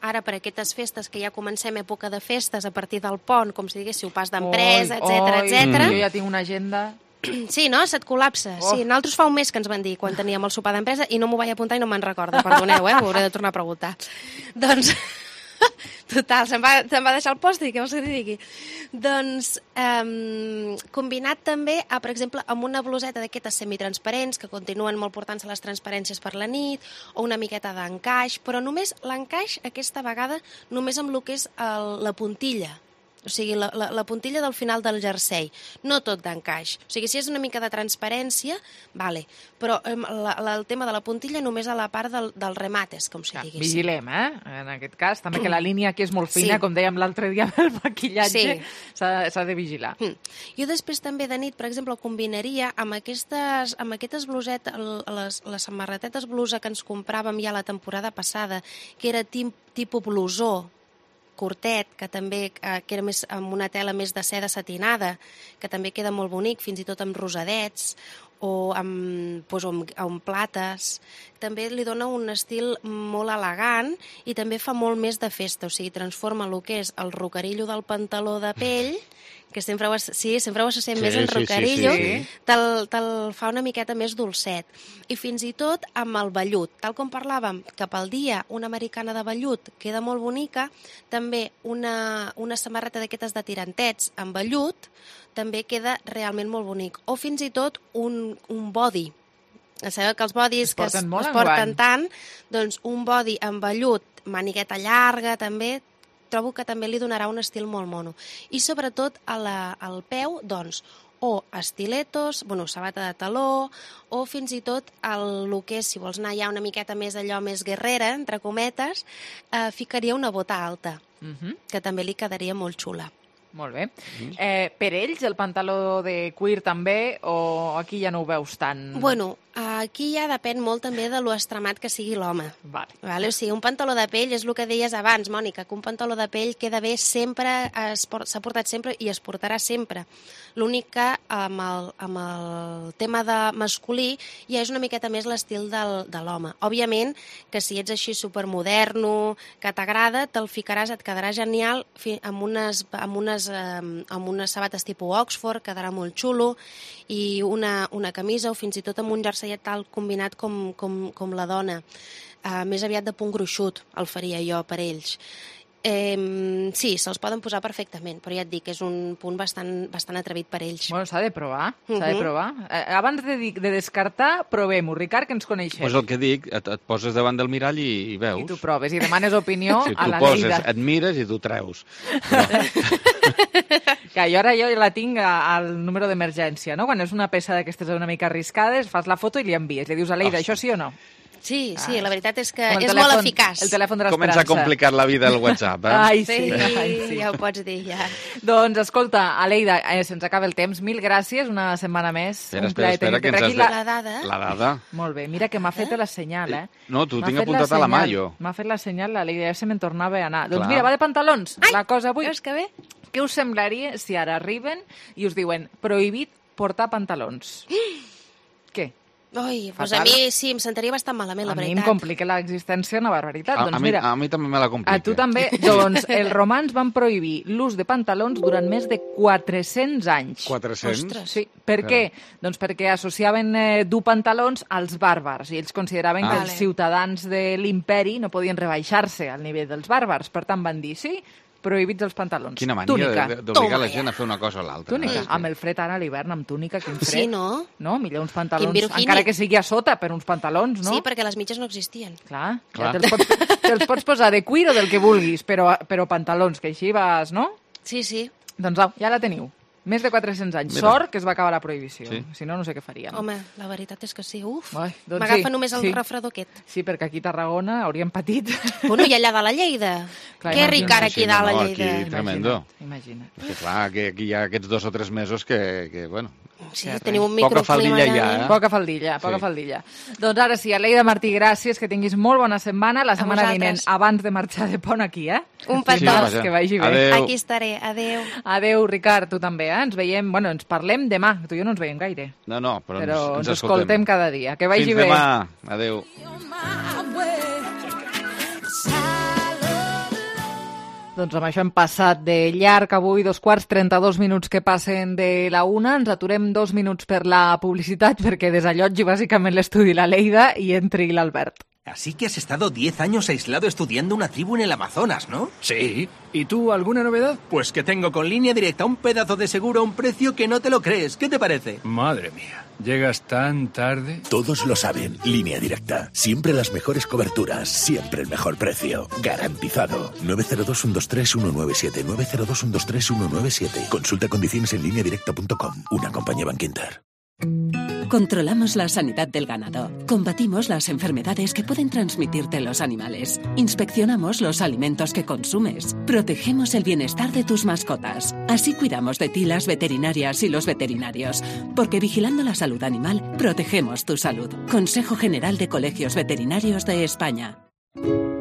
ara per aquestes festes, que ja comencem època de festes a partir del pont, com si diguéssiu pas d'empresa, etc. Jo ja tinc una agenda... Sí, no? Se't col·lapsa. Sí, nosaltres fa un mes que ens van dir quan teníem el sopar d'empresa i no m'ho vaig apuntar i no me'n recordo, perdoneu, ho hauré de tornar a preguntar. Doncs, total, se'm va deixar el pòstit, què vols que t'hi digui? Doncs, combinat també, per exemple, amb una bluseta d'aquestes semitransparents, que continuen molt portant-se les transparències per la nit, o una miqueta d'encaix, però només l'encaix, aquesta vegada, només amb el que és la puntilla. O sigui, la puntilla del final del jersei, no tot d'encaix. O sigui, si és una mica de transparència, vale, però el tema de la puntilla només a la part del remates, com si diguéssim. Vigilem, en aquest cas, també que la línia aquí és molt fina, com dèiem l'altre dia amb el maquillatge, s'ha de vigilar. Jo després també de nit, per exemple, combinaria amb aquestes blusetes, les samarretetes blusa que ens compràvem ja la temporada passada, que era tipus blusó, curtet, que també que era més amb una tela més de seda satinada, que també queda molt bonic, fins i tot amb rosadets o amb plates. També li dona un estil molt elegant i també fa molt més de festa, o sigui, transforma el que és el rocarillo del pantaló de pell, que sempre ho associem més en rocarillo, te'l fa una miqueta més dolcet. I fins i tot amb el vellut. Tal com parlàvem, que pel dia una americana de vellut queda molt bonica, també una samarreta d'aquestes de tirantets amb vellut també queda realment molt bonic. O fins i tot un body. Sabeu que els bodys que es porten tant, doncs un body amb vellut, manigueta llarga també, trobo que també li donarà un estil molt mono. I sobretot al peu, doncs, o estiletos, sabata de taló, o fins i tot el que és, si vols anar ja una miqueta més allò més guerrera, entre cometes, ficaria una bota alta, que també li quedaria molt xula. Molt bé. Per ells, el pantaló de cuir també, o aquí ja no ho veus tant? Bueno, aquí ja depèn molt també de lo extremat que sigui l'home. Vale? O sigui, un pantaló de pell és el que deies abans, Mònica, que un pantaló de pell queda bé sempre, s'ha portat sempre i es portarà sempre. L'únic que amb el tema de masculí ja és una miqueta més l'estil de l'home. Òbviament que si ets així supermoderno, que t'agrada, te'l ficaràs, et quedarà genial amb unes sabates tipus Oxford, quedarà molt xulo, i una camisa o fins i tot amb un jerseillet tal combinat com la dona. Més aviat de punt gruixut el faria jo per ells. Sí, se'ls poden posar perfectament, però ja et dic, és un punt bastant atrevit per ells. Bueno, s'ha de provar, Abans de descartar, provem-ho. Ricard, que ens coneixem. Pues el que dic, et poses davant del mirall i veus. I tu proves, i demanes opinió a la Leida. Et mires i tu treus. Que jo la tinc al número d'emergència, no? Quan és una peça d'aquestes una mica arriscades, fas la foto i li envies. Li dius a Leida, això sí o no? Sí, la veritat és que Com és molt eficaç. El telèfon de l'esperança. Comença a complicar la vida el WhatsApp, Ai, sí. Ja ho pots dir, ja. Doncs, escolta, Aleida, se'ns acaba el temps. Mil gràcies, una setmana més. Espera, que ens has de... La dada. La dada. Molt bé, mira que m'ha fet la senyal, No, tu tinc apuntat a la mà, jo. M'ha fet la senyal, l'Aleida, ja se me'n tornava a anar. Clar. Doncs mira, va de pantalons, la cosa avui. Veus que bé? Què us semblaria si ara arriben i us diuen prohibit portar pantalons? Què? Ui, doncs a mi sí, em sentaria bastant malament, la veritat. A mi em complica l'existència una barbaritat. A Doncs mira, mi també me la complica. a tu també. Doncs els romans van prohibir l'ús de pantalons durant més de 400 anys. 400? Ostres. Sí. Per què? Doncs perquè associaven dur pantalons als bàrbars i ells consideraven que els ciutadans de l'imperi no podien rebaixar-se al nivell dels bàrbars. Per tant, van dir, sí, prohibits els pantalons. Quina mania d'obligar la gent a fer una cosa o l'altra. Túnica. Amb el fred ara a l'hivern, amb túnica, quin fred. Sí, no? No, millor uns pantalons, encara que sigui a sota, per uns pantalons, no? Sí, perquè les mitges no existien. Clar. Ja te'ls pots posar de cuir o del que vulguis, però pantalons, que així vas, no? Sí. Doncs ja la teniu. Més de 400 anys. Mira. Sort que es va acabar la prohibició. Sí. Si no, no sé què faríem. Home, la veritat és que sí. Uf, doncs m'agafa només el refredor aquest. Sí, perquè aquí a Tarragona hauríem patit. Bueno, i allà dalt a Lleida. Clar, que ric ara aquí dalt a Lleida. Aquí, tremendo. Imagina't. Perquè clar, que aquí hi ha aquests 2 o 3 mesos que bueno... Sí, tenim un microclima. Poca faldilla ja, Poca faldilla. Doncs ara sí, Aleida Martí, gràcies, que tinguis molt bona setmana. La setmana vinent, abans de marxar de pont aquí, Un petó. Que vagi bé. Adéu. Aquí estaré, adéu. Adéu, Ricard, tu també, Ens veiem, ens parlem demà. Tu i jo no ens veiem gaire. No, però ens escoltem cada dia. Que vagi bé. Fins demà. Adéu. Doncs amb això hem passat de llarg avui, 2:32 que passen de la 1. Ens aturem 2 minuts per la publicitat perquè desallotgi bàsicament l'estudi la Leida i entri l'Albert. Así que has estado 10 años aislado estudiando una tribu en el Amazonas, ¿no? Sí. ¿Y tú, alguna novedad? Pues que tengo con Línea Directa un pedazo de seguro a un precio que no te lo crees. ¿Qué te parece? Madre mía, ¿llegas tan tarde? Todos lo saben. Línea Directa. Siempre las mejores coberturas. Siempre el mejor precio. Garantizado. 902-123-197. 902-123-197. Consulta condiciones en lineadirecta.com. Una compañía Bankinter. Controlamos la sanidad del ganado. Combatimos las enfermedades que pueden transmitirte los animales. Inspeccionamos los alimentos que consumes. Protegemos el bienestar de tus mascotas. Así cuidamos de ti las veterinarias y los veterinarios. Porque vigilando la salud animal, protegemos tu salud. Consejo General de Colegios Veterinarios de España.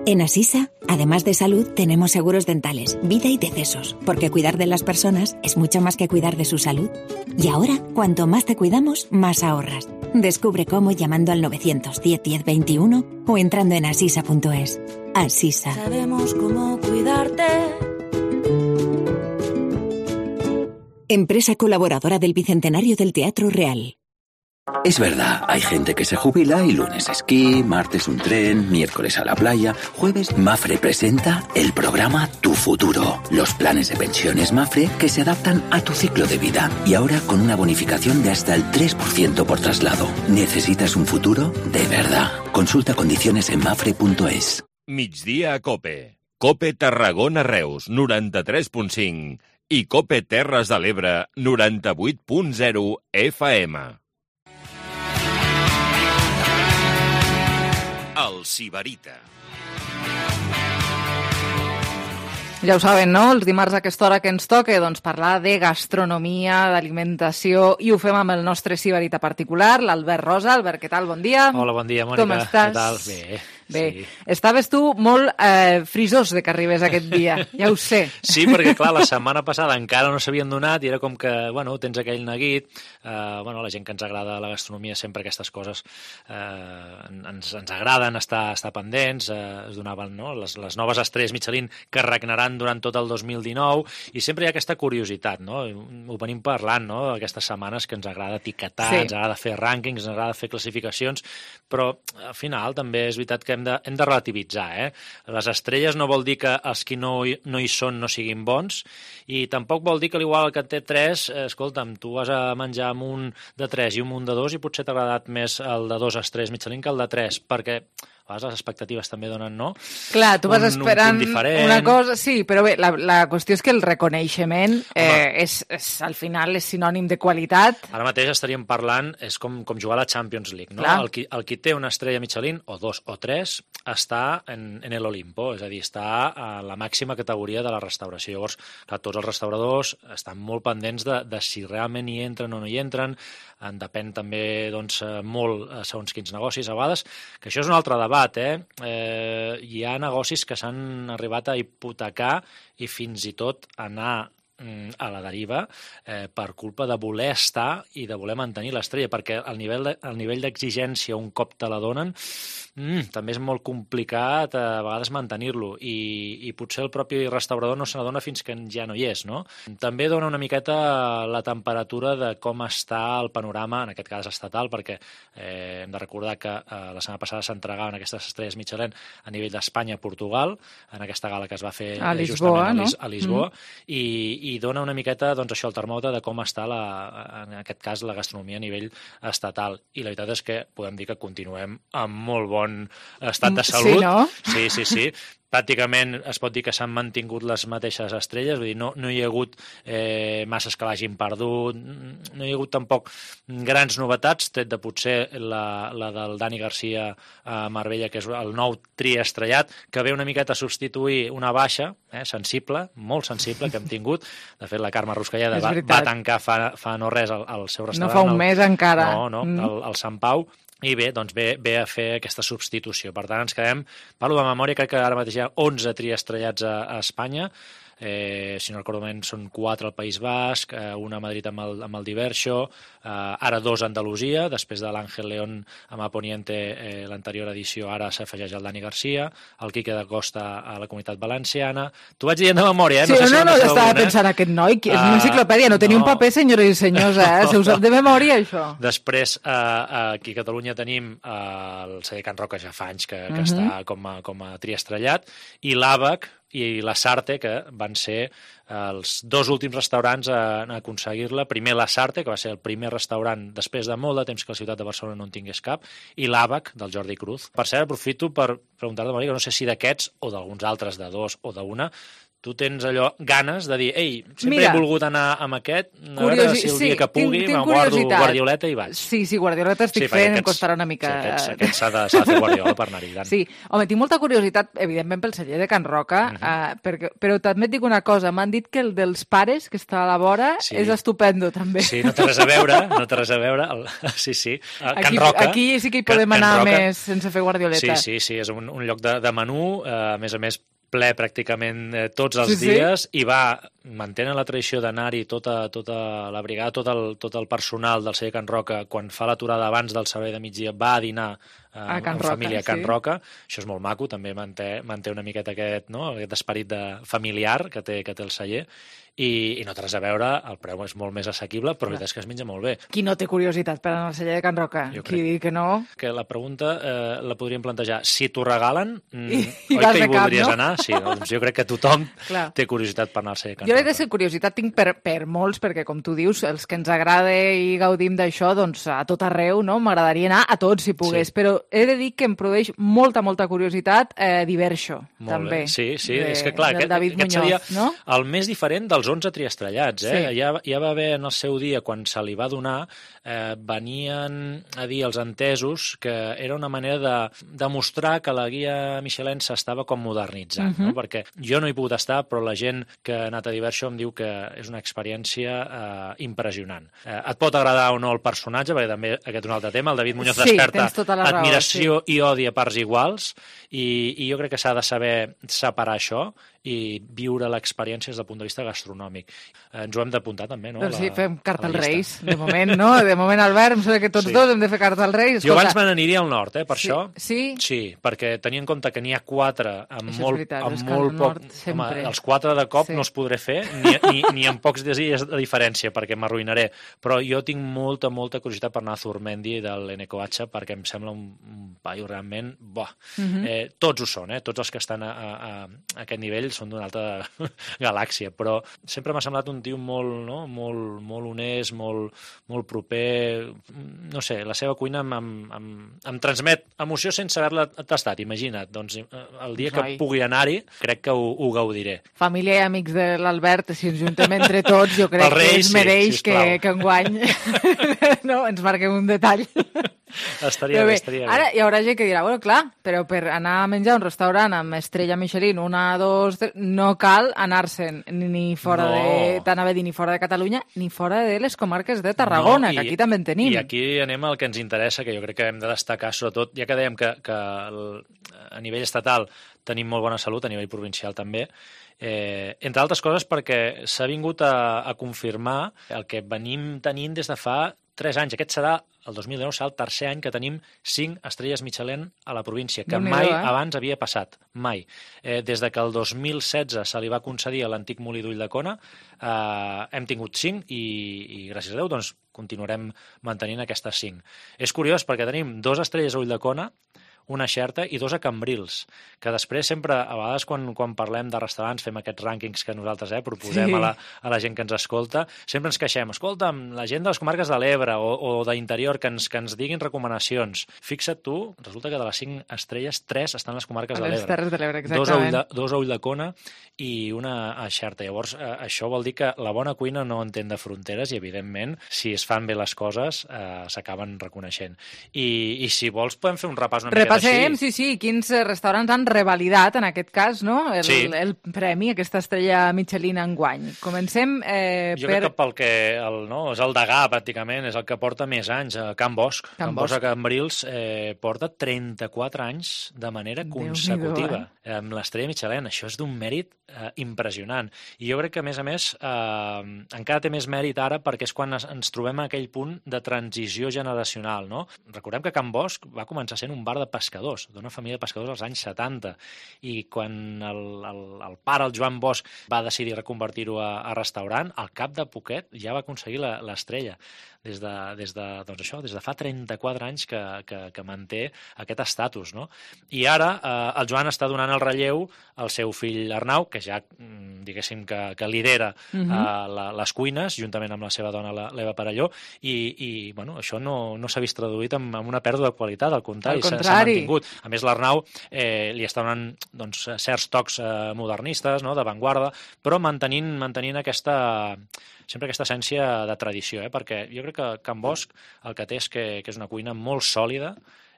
En Asisa, además de salud, tenemos seguros dentales, vida y decesos, porque cuidar de las personas es mucho más que cuidar de su salud. Y ahora, cuanto más te cuidamos, más ahorras. Descubre cómo llamando al 910 10 21 o entrando en asisa.es. Asisa. Sabemos cómo cuidarte. Empresa colaboradora del Bicentenario del Teatro Real. Es verdad, hay gente que se jubila y lunes esquí, martes un tren, miércoles a la playa, jueves Mafre presenta el programa Tu Futuro. Los planes de pensiones Mafre que se adaptan a tu ciclo de vida y ahora con una bonificación de hasta el 3% por traslado. ¿Necesitas un futuro? De verdad. Consulta condiciones en mafre.es. Migdia a Cope. Cope Tarragona Reus, 93.5 i Cope Terres de l'Ebre, 98.0 FM. El Sibarita. Ja ho saben, no? Els dimarts a aquesta hora que ens toca, doncs parlar de gastronomia, d'alimentació, i ho fem amb el nostre sibarita particular, l'Albert Rosa. Albert, què tal? Bon dia. Hola, bon dia, Mònica. Com estàs? Què tal? Bé. Bé, sí. Estaves tu molt frisós de que arribés aquest dia, ja ho sé. Sí, perquè clar, la setmana passada encara no s'havien donat i era com que, bueno, tens aquell neguit, la gent que ens agrada la gastronomia, sempre aquestes coses ens agraden estar pendents, es donaven, no?, les noves estrelles Michelin que regnaran durant tot el 2019 i sempre hi ha aquesta curiositat, no?, ho venim parlant, no?, aquestes setmanes que ens agrada etiquetar, sí. Ens agrada fer rànquings, ens agrada fer classificacions, però al final també és veritat que hem de relativitzar, Les estrelles no vol dir que els que no hi són no siguin bons i tampoc vol dir que l'igual que té 3, escolta'm, tu vas a menjar amb un de 3 i un de 2 i potser t'ha agradat més el de 2 estrelles Michelin que el de 3, perquè a vegades les expectatives també donen, no? Clar, tu vas esperant una cosa... Sí, però bé, la qüestió és que el reconeixement al final és sinònim de qualitat. Ara mateix estaríem parlant, és com jugar a la Champions League, no? El qui té una estrella Michelin, o 2 o 3, està en el Olimpo, és a dir, està a la màxima categoria de la restauració. Llavors, clar, tots els restauradors estan molt pendents de si realment hi entren o no hi entren, en depèn també doncs, molt segons quins negocis a vegades, que això és un altre debat, hi ha negocis que s'han arribat a hipotecar i fins i tot anar a la deriva per culpa de voler estar i de voler mantenir l'estrella, perquè el nivell d'exigència un cop te la donen també és molt complicat a vegades mantenir-lo i potser el propi restaurador no se n'adona fins que ja no hi és, no? També dona una miqueta la temperatura de com està el panorama, en aquest cas estatal, perquè hem de recordar que la setmana passada s'entregaven aquestes estrelles Michelin a nivell d'Espanya, Portugal, en aquesta gala que es va fer a Lisboa, a Lisboa, i dona una miqueta doncs, això, el termòmetre de com està, en aquest cas, la gastronomia a nivell estatal. I la veritat és que podem dir que continuem amb molt bon estat de salut. Sí, no? Sí. Pràcticament es pot dir que s'han mantingut les mateixes estrelles, vull dir, no hi ha hagut masses que l'hagin perdut, no hi ha hagut tampoc grans novetats, tret de potser la del Dani Garcia a Marbella, que és el nou triestrellat, que ve una miqueta a substituir una baixa, sensible, molt sensible, que hem tingut. De fet, la Carme Ruscalleda va tancar fa no res el seu restaurant. No fa un mes encara. No, el Sant Pau. I bé, doncs ve a fer aquesta substitució. Per tant, ens quedem, parlo de memòria, crec que ara mateix hi ha 11 triestrellats a Espanya, si no recordo bé, són 4 al País Basc, una a Madrid amb el Diverso, ara 2 a Andalusia, després de l'Àngel León amb Aponiente, l'anterior edició, ara s'afegeix el Dani Garcia, el Quique da Costa a la Comunitat Valenciana. T'ho vaig dient de memòria, Sí, no, estava pensant aquest noi, és una enciclopèdia, no tenia un paper, senyores i senyors, se us sap de memòria, això. Després, aquí a Catalunya tenim el celler Can Roca, ja fa anys que està com a triestrellat, i l'Àbac i la Sarte, que van ser els 2 últims restaurants a aconseguir-la. Primer la Sarte, que va ser el primer restaurant després de molt de temps que la ciutat de Barcelona no en tingués cap, i l'Àbac, del Jordi Cruz. Per cert, aprofito per preguntar-te, Mònica, no sé si d'aquests o d'alguns altres, de 2 o d'1, tu tens allò ganes de dir, ei, sempre he volgut anar amb aquest, a veure si el dia que pugui me'n guardo guardioleta i vaig. Sí, guardioleta estic fent, em costarà una mica. Aquest s'ha de fer guardiola per anar-hi. Sí, home, tinc molta curiositat, evidentment, pel celler de Can Roca, però també et dic una cosa, m'han dit que el dels pares, que està a la vora, és estupendo, també. Sí, no té res a veure, sí. Can Roca. Aquí sí que hi podem anar més sense fer guardioleta. Sí, és un lloc de menú, a més ple pràcticament tots els dies, i mantenen la tradició d'anar-hi tota la brigada, tot el personal del celler Can Roca, quan fa l'aturada abans del servei de migdia, va a dinar amb família a Can Roca. Això és molt maco, també manté una miqueta aquest esperit familiar que té el celler, i no té res a veure, el preu és molt més assequible, però la veritat és que es menja molt bé. Qui no té curiositat per anar al celler de Can Roca? Qui digui que no? Que la pregunta la podríem plantejar, si t'ho regalen, oi que hi voldries anar? Sí, doncs jo crec que tothom té curiositat per anar al celler de Can Roca. Jo crec que curiositat tinc per molts, perquè com tu dius, els que ens agrada i gaudim d'això, doncs a tot arreu, no? M'agradaria anar a tots si pogués, però he de dir que em produeix molta curiositat Diverso, també. Sí, és que clar, aquest seria el més diferent dels 11 triestrellats. Ja va haver en el seu dia, quan se li va donar, venien a dir els entesos que era una manera de demostrar que la guia Michelin s'estava com modernitzant, no? Perquè jo no hi he pogut estar, però la gent que ha anat a Diverso em diu que és una experiència impressionant. Et pot agradar o no el personatge, perquè també aquest és un altre tema, el David Muñoz desperta admiració i odi a parts iguals, i jo crec que s'ha de saber separar això i viure l'experiència des del punt de vista gastronòmic. Ens ho hem d'apuntar també, no? Doncs sí, fem carta als Reis, de moment, no? De moment, Albert, em sembla que tots dos hem de fer carta als Reis. Jo abans me n'aniria al nord, per això. Sí? Sí, perquè tenia en compte que n'hi ha 4 amb molt poc... Home, els 4 de cop no els podré fer, ni en pocs dies de diferència, perquè m'arruïnaré. Però jo tinc molta curiositat per anar a Zurmendi de l'Enecoatxa, perquè em sembla un paio realment... Tots ho són, tots els que estan a aquest nivell ells són d'una altra galàxia, però sempre m'ha semblat un tio molt honest, molt proper, no sé, la seva cuina em transmet emoció sense haver-la tastat, imagina't, doncs el dia que pugui anar-hi crec que ho gaudiré. Família i amics de l'Albert, si ens juntem entre tots, jo crec que es mereix que enguany ens marquem un detall. Estaria bé. Ara hi haurà gent que dirà, bueno, clar, però per anar a menjar a un restaurant amb estrella Michelin, 1, 2, 3, no cal anar-se'n ni fora ni fora de Catalunya, ni fora de les comarques de Tarragona, que aquí també en tenim. I aquí anem al que ens interessa, que jo crec que hem de destacar, sobretot, ja que dèiem que a nivell estatal tenim molt bona salut, a nivell provincial també, entre altres coses perquè s'ha vingut a confirmar el que venim tenint des de fa 3 anys. Aquest serà, el 2019, serà el tercer any que tenim 5 estrelles Michelin a la província, que mai abans havia passat, mai. Des de que el 2016 se li va concedir a l'antic Molí d'Ulldecona, hem tingut 5 i gràcies a Déu doncs, continuarem mantenint aquestes 5. És curiós perquè tenim 2 estrelles a Ulldecona, una a Xerta i 2 a Cambrils, que després sempre, a vegades quan parlem de restaurants, fem aquests rànquings que nosaltres proposem a la gent que ens escolta, sempre ens queixem, escolta'm, la gent de les comarques de l'Ebre o d'interior que ens diguin recomanacions. Fixa't tu, resulta que de les 5 estrelles, 3 estan a les comarques de l'Ebre. A les Terres de l'Ebre, exactament. 2 a Ulldecona i una a Xerta. Llavors, això vol dir que la bona cuina no entén de fronteres i, evidentment, si es fan bé les coses, s'acaben reconeixent. I si vols, podem fer un repàs una miqueta. Repassem, sí, quins restaurants han revalidat, en aquest cas, no? El premi, aquesta estrella Michelin enguany. Comencem jo crec que pel que és el degà, pràcticament, és el que porta més anys, Can Bosch. Can Bosch a Cambrils porta 34 anys de manera consecutiva amb l'estrella Michelin. Això és d'un mèrit impressionant. I jo crec que, a més, encara té més mèrit ara perquè és quan ens trobem en aquell punt de transició generacional, no? Recordem que Can Bosch va començar sent un bar de pescadors, d'una família de pescadors als anys 70, i quan el pare, el Joan Bosch, va decidir reconvertir-ho a restaurant, al cap de poquet ja va aconseguir l'estrella. Des de fa 34 anys que manté aquest estatus, no? I ara el Joan està donant el relleu al seu fill Arnau, que ja, diguéssim, que lidera les cuines, juntament amb la seva dona, l'Eva Parelló, i això no s'ha vist traduït en una pèrdua de qualitat, al contrari, s'ha mantingut. A més, l'Arnau li està donant certs tocs modernistes, d'avantguarda, però mantenint sempre aquesta essència de tradició, perquè jo crec que Can Bosch el que té és que és una cuina molt sòlida,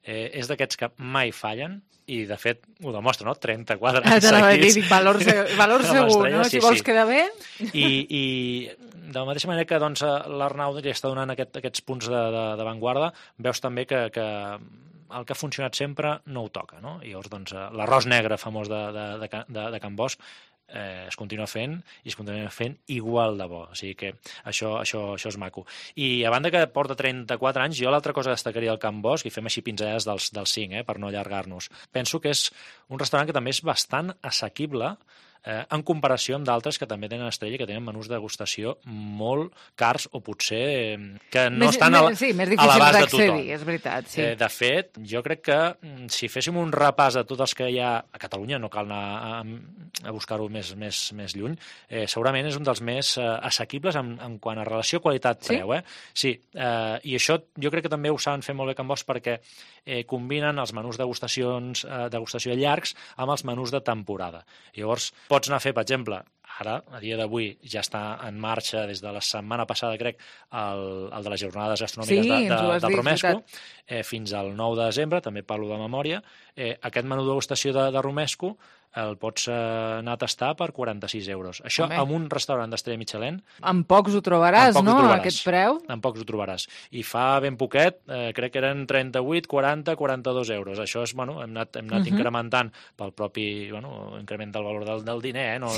és d'aquests que mai fallen, i de fet ho demostra, 34 anys seguits. Valor segur, no? Si vols quedar bé. I de la mateixa manera que l'Arnau li està donant aquests punts d'avantguarda, veus també que el que ha funcionat sempre no ho toca, no? I llavors l'arròs negre famós de Can Bosch es continua fent i es continua fent igual de bo, o sigui que això és maco. I a banda que porta 34 anys, jo l'altra cosa que destacaria del Can Bosch, i fem així pinzellades dels 5, per no allargar-nos, penso que és un restaurant que també és bastant assequible en comparació amb d'altres que també tenen estrella, que tenen menús de degustació molt cars o potser que no estan a l'abast de tothom. És veritat, sí. De fet, jo crec que si féssim un repàs de tots els que hi ha a Catalunya, no cal anar a buscar-ho més lluny, segurament és un dels més assequibles en quant a relació qualitat-preu. Sí, i això jo crec que també ho saben fer molt bé Can Bosch perquè combinen els menús degustació llargs amb els menús de temporada. Llavors, pots anar a fer, per exemple, ara, a dia d'avui, ja està en marxa des de la setmana passada, crec, el de les jornades gastronòmiques del Romesco, fins al 9 de desembre, també parlo de memòria. Aquest menú de degustació de Romesco el pots anar a tastar per 46 euros. Això en un restaurant d'estrella Michelin... En pocs ho trobaràs, no?, aquest preu? En pocs ho trobaràs. I fa ben poquet, crec que eren 38, 40, 42 euros. Això és, hem anat incrementant pel propi increment del valor del diner, no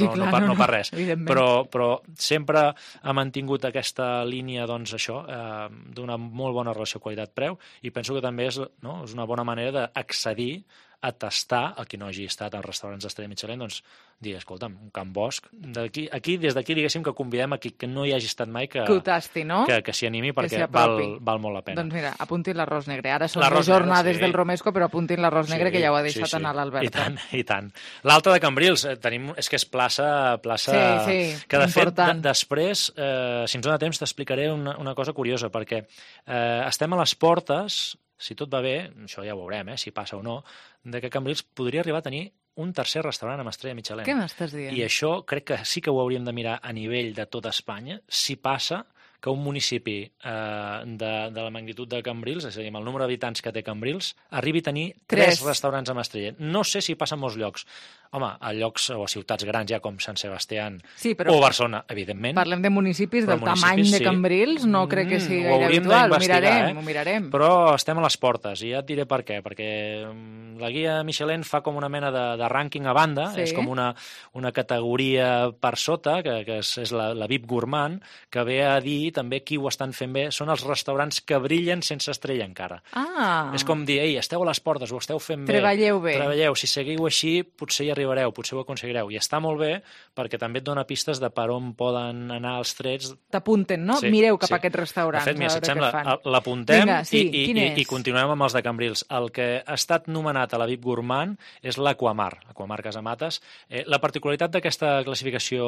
per res. Però sempre ha mantingut aquesta línia, d'una molt bona relació qualitat-preu, i penso que també és una bona manera d'accedir a tastar, el que no hagi estat als restaurants d'Estrella Michelin, doncs dir, escolta'm, un Can Bosch, des d'aquí diguéssim que convidem a qui que no hi hagi estat mai que ho tasti, no? Que s'hi animi, perquè val molt la pena. Doncs mira, apuntin l'arròs negre. Ara són les jornades del Romesco, però apuntin l'arròs negre, que ja ho ha deixat anar l'Albert. I tant. L'alta de Cambrils, és que és plaça que de fet, després, si ens dona temps, t'explicaré una cosa curiosa, perquè estem a les portes, si tot va bé, això ja ho veurem, si passa o no, de que Cambrils podria arribar a tenir un tercer restaurant amb estrella Michelin. Què m'estàs dient? I això crec que sí que ho hauríem de mirar a nivell de tota Espanya, si passa que un municipi de la magnitud de Cambrils, és a dir, amb el número d'habitants que té Cambrils, arribi a tenir 3 restaurants amb estrella. No sé si passa en molts llocs. Home, a llocs o a ciutats grans ja com Sant Sebastià o Barcelona, evidentment. Parlem de municipis del tamany de Cambrils, no crec que sigui gaire habitual. Ho mirarem. Però estem a les portes, i ja et diré per què. Perquè la guia Michelin fa com una mena de rànquing a banda, és com una categoria per sota, que és la VIP Gourmand, que ve a dir també qui ho estan fent bé. Són els restaurants que brillen sense estrella encara. És com dir, ei, esteu a les portes, ho esteu fent bé. Treballeu bé. Si seguiu així, potser hi arribareu, potser ho aconseguireu. I està molt bé perquè també et dona pistes de per on poden anar els trets. T'apunten, no? Mireu cap a aquests restaurants. De fet, mira, si et sembla, l'apuntem i continuem amb els de Cambrils. El que ha estat nomenat a la VIP Gourmand és l'Aquamar Casamates. La particularitat d'aquesta classificació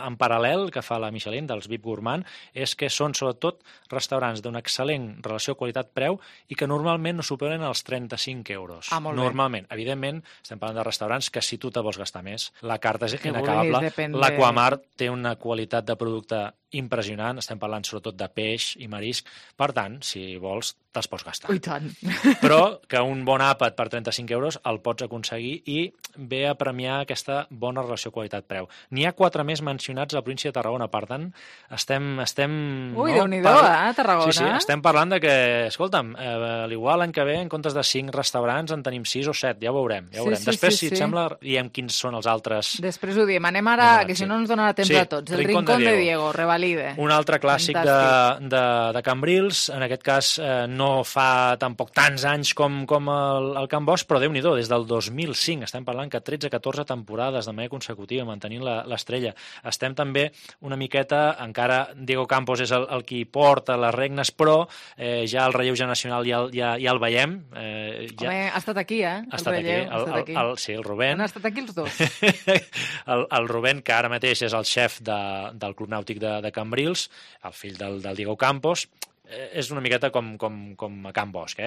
en paral·lel que fa la Michelin, dels VIP Gourmand, és que són sobretot restaurants d'una excel·lent relació qualitat-preu i que normalment no superen els 35 euros. Normalment. Evidentment, estem parlant de restaurants que si tu te vols gastar més, la carta és inacabable. L'Aquamar té una qualitat de producte impressionant, estem parlant sobretot de peix i marisc, per tant, si vols, te'ls pots gastar. I tant. Però que un bon àpat per 35 euros el pots aconseguir i ve a premiar aquesta bona relació qualitat-preu. N'hi ha 4 més mencionats a la província de Tarragona, per tant, estem Ui, Déu-n'hi-do, Tarragona. Sí, estem parlant de que, escolta'm, l'igual l'any que ve, en comptes de 5 restaurants, en tenim 6 o 7, ja ho veurem. Després, si et sembla, diem quins són els altres. Després ho diem. Anem ara, que si no ens donarà temps a tots. El Rincón de Diego, Revalide. Un altre clàssic de Cambrils, en aquest cas no fa tampoc tants anys com el Can Bosch, però Déu-n'hi-do, des del 2005 estem parlant que 13-14 temporades de manera consecutiva mantenint l'estrella. Estem també una miqueta, encara Diego Campos és el qui porta les regnes, però ja el relleu generacional ja el veiem. Home, ha estat aquí, Ha estat aquí. Sí, el Rubén. Han estat aquí els dos. El Rubén, que ara mateix és el xef del Club Nàutic de Cambrils, el fill del Diego Campos, és una miqueta com a Can Bosch,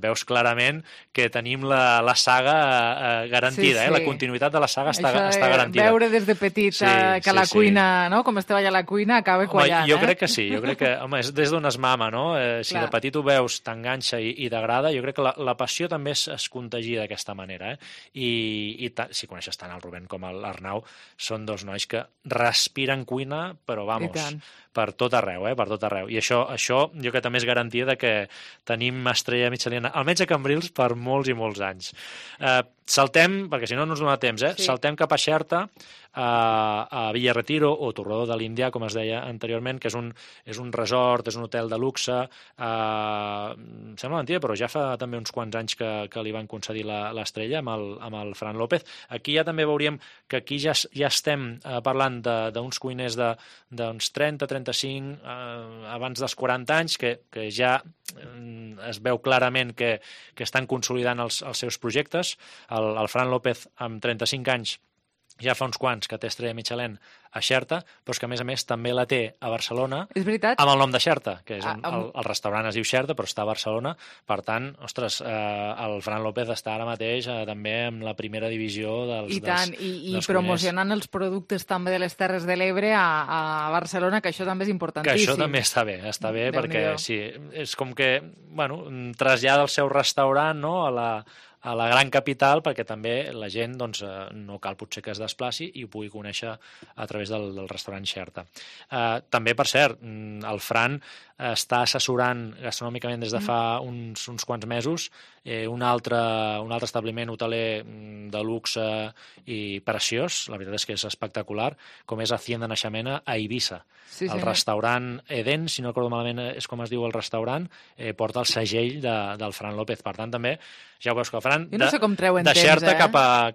veus clarament que tenim la saga garantida, la continuïtat de la saga està garantida. Veure des de petit que la cuina, no? Com estava allà la cuina, acaba quallant. Jo crec que sí, home, és des d'on es mama, no? Si de petit ho veus, t'enganxa i t'agrada, jo crec que la passió també es contagia d'aquesta manera, i si coneixes tant el Rubén com l'Arnau, són dos nois que respiren cuina, però vamos, per tot arreu, per tot arreu. I això jo que també és garantia de que tenim estrella Michelin, almenys a Cambrils, per molts i molts anys. Saltem, perquè si no ens dona temps, saltem cap a Xerta, a Villa Retiro o Torredó de l'Índia, com es deia anteriorment, que és un resort, és un hotel de luxe, sembla mentida, però ja fa també uns quants anys que li van concedir l'estrella amb el Fran López. Aquí ja també veuríem que aquí ja estem parlant d'uns cuiners d'uns 30-35 abans dels 40 anys, que ja es veu clarament que estan consolidant els seus projectes. El Fran López, amb 35 anys, ja fa uns quants que té estrella Michelin a Xerta, però és que a més també la té a Barcelona, amb el nom de Xerta, que és el restaurant es diu Xerta, però està a Barcelona. Per tant, ostres, el Fran López està ara mateix també en la primera divisió dels i promocionant els productes també de les Terres de l'Ebre a Barcelona, que això també és importantíssim. Que això també està bé, perquè sí, és com que trasllada el seu restaurant a la gran capital, perquè també la gent no cal potser que es desplaci i ho pugui conèixer a través del restaurant Xerta. També, per cert, el Fran està assessorant gastronòmicament des de fa uns quants mesos un altre establiment hoteler de luxe i preciós, la veritat és que és espectacular, com és Hacienda Naixamena a Eivissa. El restaurant Eden, si no recordo malament és com es diu el restaurant, porta el segell del Fran López. Per tant, també, ja ho veus que el Fran jo no sé com treuen temps, deixar-te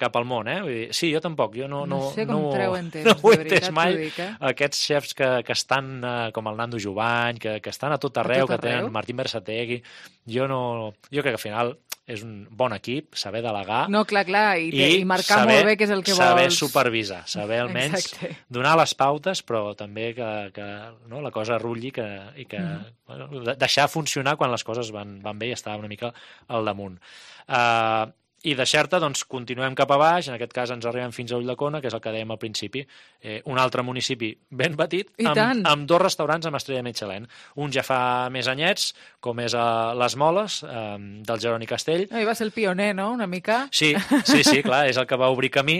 cap al món. Vull dir, sí, jo tampoc. Jo no sé com treuen temps, no ho he de veritat, entès mai. t'ho dic, Aquests xefs que estan com el Nando Jovany, que estan a tot arreu, que tenen Martín Bersategui. Jo crec que al final és un bon equip, saber delegar... No, clar, i marcar molt bé què és el que vols. Saber supervisar, saber almenys donar les pautes, però també que la cosa rulli i que deixar funcionar quan les coses van bé i estar una mica al damunt. I de Xerta, doncs, continuem cap a baix, en aquest cas ens arribem fins a Ulldecona, que és el que dèiem al principi, un altre municipi ben petit, amb 2 restaurants amb estrella Michelin. Un ja fa més anyets, com és a Les Moles, del Jeroni Castell. I va ser el pioner, no?, una mica? Sí, clar, és el que va obrir camí,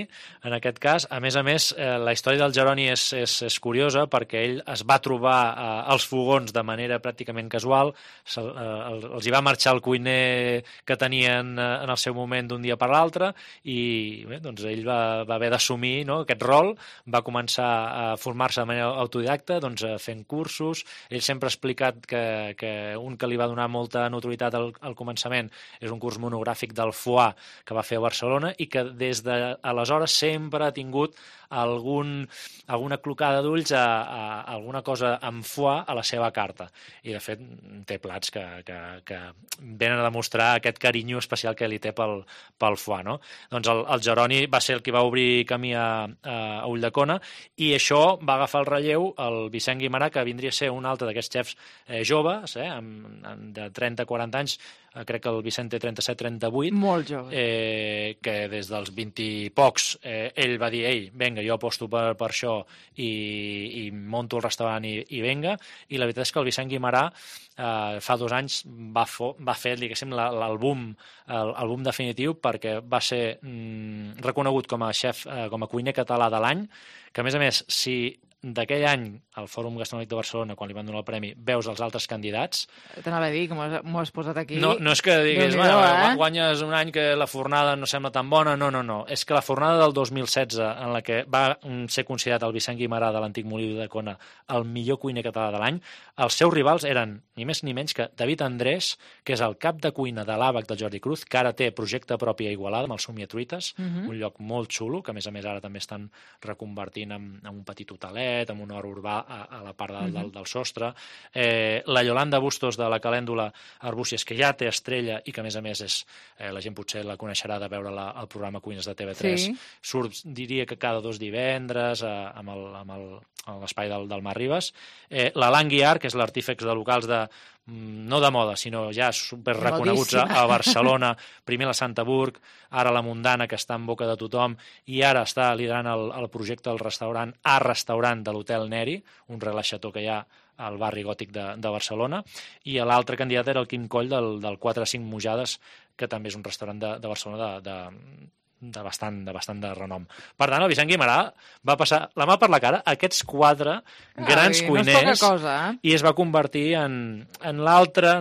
en aquest cas. A més, la història del Jeroni és curiosa, perquè ell es va trobar als fogons de manera pràcticament casual, els hi va marxar el cuiner que tenien en el seu moment d'un dia per l'altre i bé, doncs ell va haver d'assumir aquest rol, va començar a formar-se de manera autodidacta, doncs, fent cursos. Ell sempre ha explicat que un que li va donar molta notorietat al començament és un curs monogràfic del foie que va fer a Barcelona i que des d'aleshores sempre ha tingut alguna clocada d'ulls a alguna cosa amb foie a la seva carta. I, de fet, té plats que venen a demostrar aquest carinyo especial que li té pel foie, no? Doncs el Jeroni va ser el que va obrir camí a Ulldecona i això va agafar el relleu el Vicent Guimarà, que vindria a ser un altre d'aquests xefs joves, de 30-40 anys. Crec que el Vicent té 37-38. Molt jove. Que des dels 20 i pocs ell va dir, vinga, jo aposto per això i monto el restaurant i vinga. I la veritat és que el Vicent Guimarà fa 2 anys va fer, diguéssim, l'àlbum definitiu, perquè va ser reconegut com a xef, com a cuiner català de l'any, que a més, si d'aquell any al Fòrum Gastronòmic de Barcelona, quan li van donar el premi, veus els altres candidats... T'anava a dir, que m'ho has posat aquí... No és que diguis, guanyes un any que la fornada no sembla tan bona, no. És que la fornada del 2016, en la que va ser considerat el Vicent Guimarà de l'antic Molí d'Ulldecona el millor cuiner català de l'any, els seus rivals eren ni més ni menys que David Andrés, que és el cap de cuina de l'àbac del Jordi Cruz, que ara té projecte propi a Igualada, amb el Somiatruites, un lloc molt xulo, que a més ara també estan reconvertint en un petit hotelet, amb un hort urbà a la part del sostre. La Yolanda Bustos de la Calèndula Arbúcies, que ja té estrella i que a més és, la gent potser la coneixerà de veure el programa Cuines de TV3. Surt, diria que cada 2 divendres amb l'espai del Mar Ribes. L'Alan Guiar, que és l'artífex de locals no de moda, sinó ja super reconeguts a Barcelona, primer la Santa Burg, ara la Mundana, que està en boca de tothom, i ara està liderant el projecte del restaurant de l'Hotel Neri, un relaxató que hi ha al barri gòtic de Barcelona, i l'altre candidat era el Quim Coll del 4-5 Mujades, que també és un restaurant de Barcelona de bastant de renom. Per tant, el Vicent Guimarà va passar la mà per la cara a aquests 4 grans cuiners i es va convertir en l'altre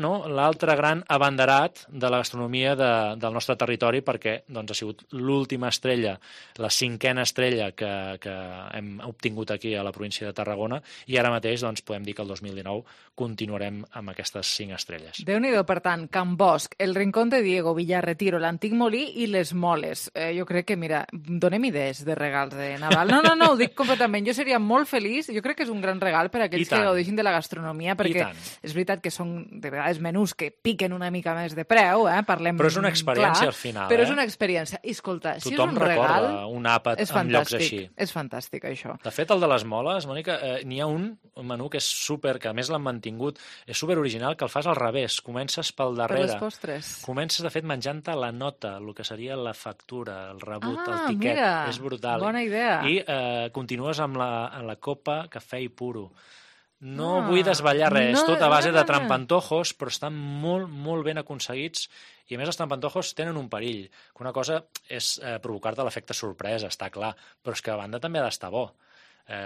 gran abanderat de la gastronomia del nostre territori, perquè ha sigut l'última estrella, la 5a estrella que hem obtingut aquí a la província de Tarragona, i ara mateix podem dir que el 2019 continuarem amb aquestes 5 estrelles. Déu-n'hi-do, per tant, Can Bosch, el Rincón de Diego, Villarretiro, l'Antic Molí i Les Moles. Jo crec que, mira, donem idees de regals de Nadal. No, ho dic completament. Jo seria molt feliç. Jo crec que és un gran regal per a aquells que gaudeixin de la gastronomia, perquè és veritat que són, de vegades, menús que piquen una mica més de preu, parlem clar. Però és una experiència al final. Però és una experiència. I, escolta, si és un regal... Tothom recorda un àpat en llocs així. És fantàstic, això. De fet, el de Les Moles, Mònica, n'hi ha un menú que és super, que a més l'han mantingut, és super original, que el fas al revés. Comences pel darrere. Per les postres. Comences, de fet, menjant-te la nota, el que seria la factura, el rebut, el tiquet. Mira, és brutal. Bona idea. I continues amb la copa cafè i puro. No vull desvetllar res, tot a base de trampantojos, però estan molt, molt ben aconseguits, i a més els trampantojos tenen un perill, que una cosa és provocar-te l'efecte sorpresa, està clar, però és que a banda també ha d'estar bo.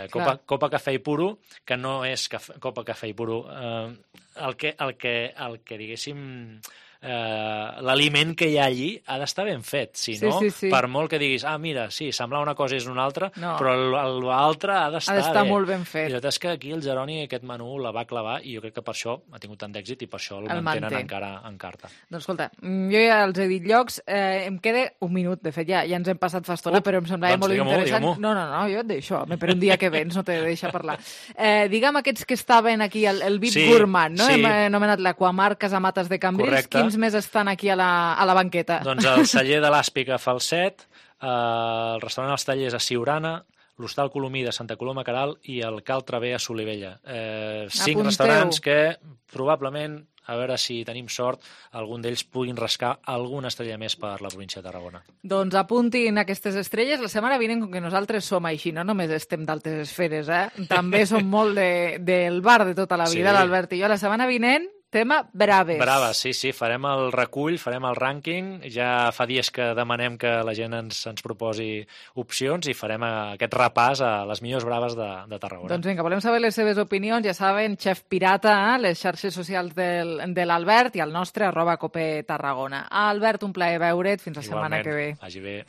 Copa Cafè i Puro, que no és Copa Cafè i Puro. El que diguéssim... l'aliment que hi ha allí ha d'estar ben fet, si no, per molt que diguis, mira, sí, semblar una cosa és una altra, però l'altre ha d'estar bé. Molt ben fet. I la veritat és que aquí el Jeroni aquest menú la va clavar i jo crec que per això ha tingut tant d'èxit i per això el mantenen encara en carta. Doncs escolta, jo ja els he dit llocs, em queda un minut, de fet ja ens hem passat fa estona, però em semblava molt interessant. No, jo et deixo, per un dia que vens no t'he de deixar parlar. Digue'm aquests que estaven aquí, el VIP Gourmand, no? Hem anomenat l'Aquamar Casamates de Cambrils. Quins més estan aquí a la banqueta? Doncs el celler de l'Àspic a Falset, el restaurant Els Tallers a Siurana, l'Hostal Colomí de Santa Coloma Queralt i el Cal Traver a Solivella. 5 restaurants que probablement, a veure si tenim sort, algun d'ells puguin rascar alguna estrella més per la província de Tarragona. Doncs apuntin aquestes estrelles. La setmana vinent, com que nosaltres som així, no només estem d'altes esferes, també som molt del bar de tota la vida, l'Albert i jo. La setmana vinent tema Braves. Braves, sí, farem el recull, farem el rànquing, ja fa dies que demanem que la gent ens proposi opcions i farem aquest repàs a les millors braves de Tarragona. Doncs vinga, volem saber les seves opinions, ja saben, Xef Pirata, les xarxes socials de l'Albert i el nostre @copetarragona. Albert, un plaer veure't, fins la setmana que ve. Vagi bé.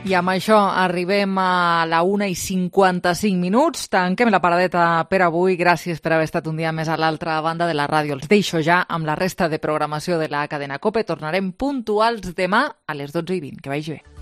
I amb això arribem a la 1:55. Tanquem la paradeta per avui. Gràcies per haver estat un dia més a l'altra banda de la ràdio. Els deixo ja amb la resta de programació de la cadena COPE. Tornarem puntuals demà a les 12:20. Que vagi bé.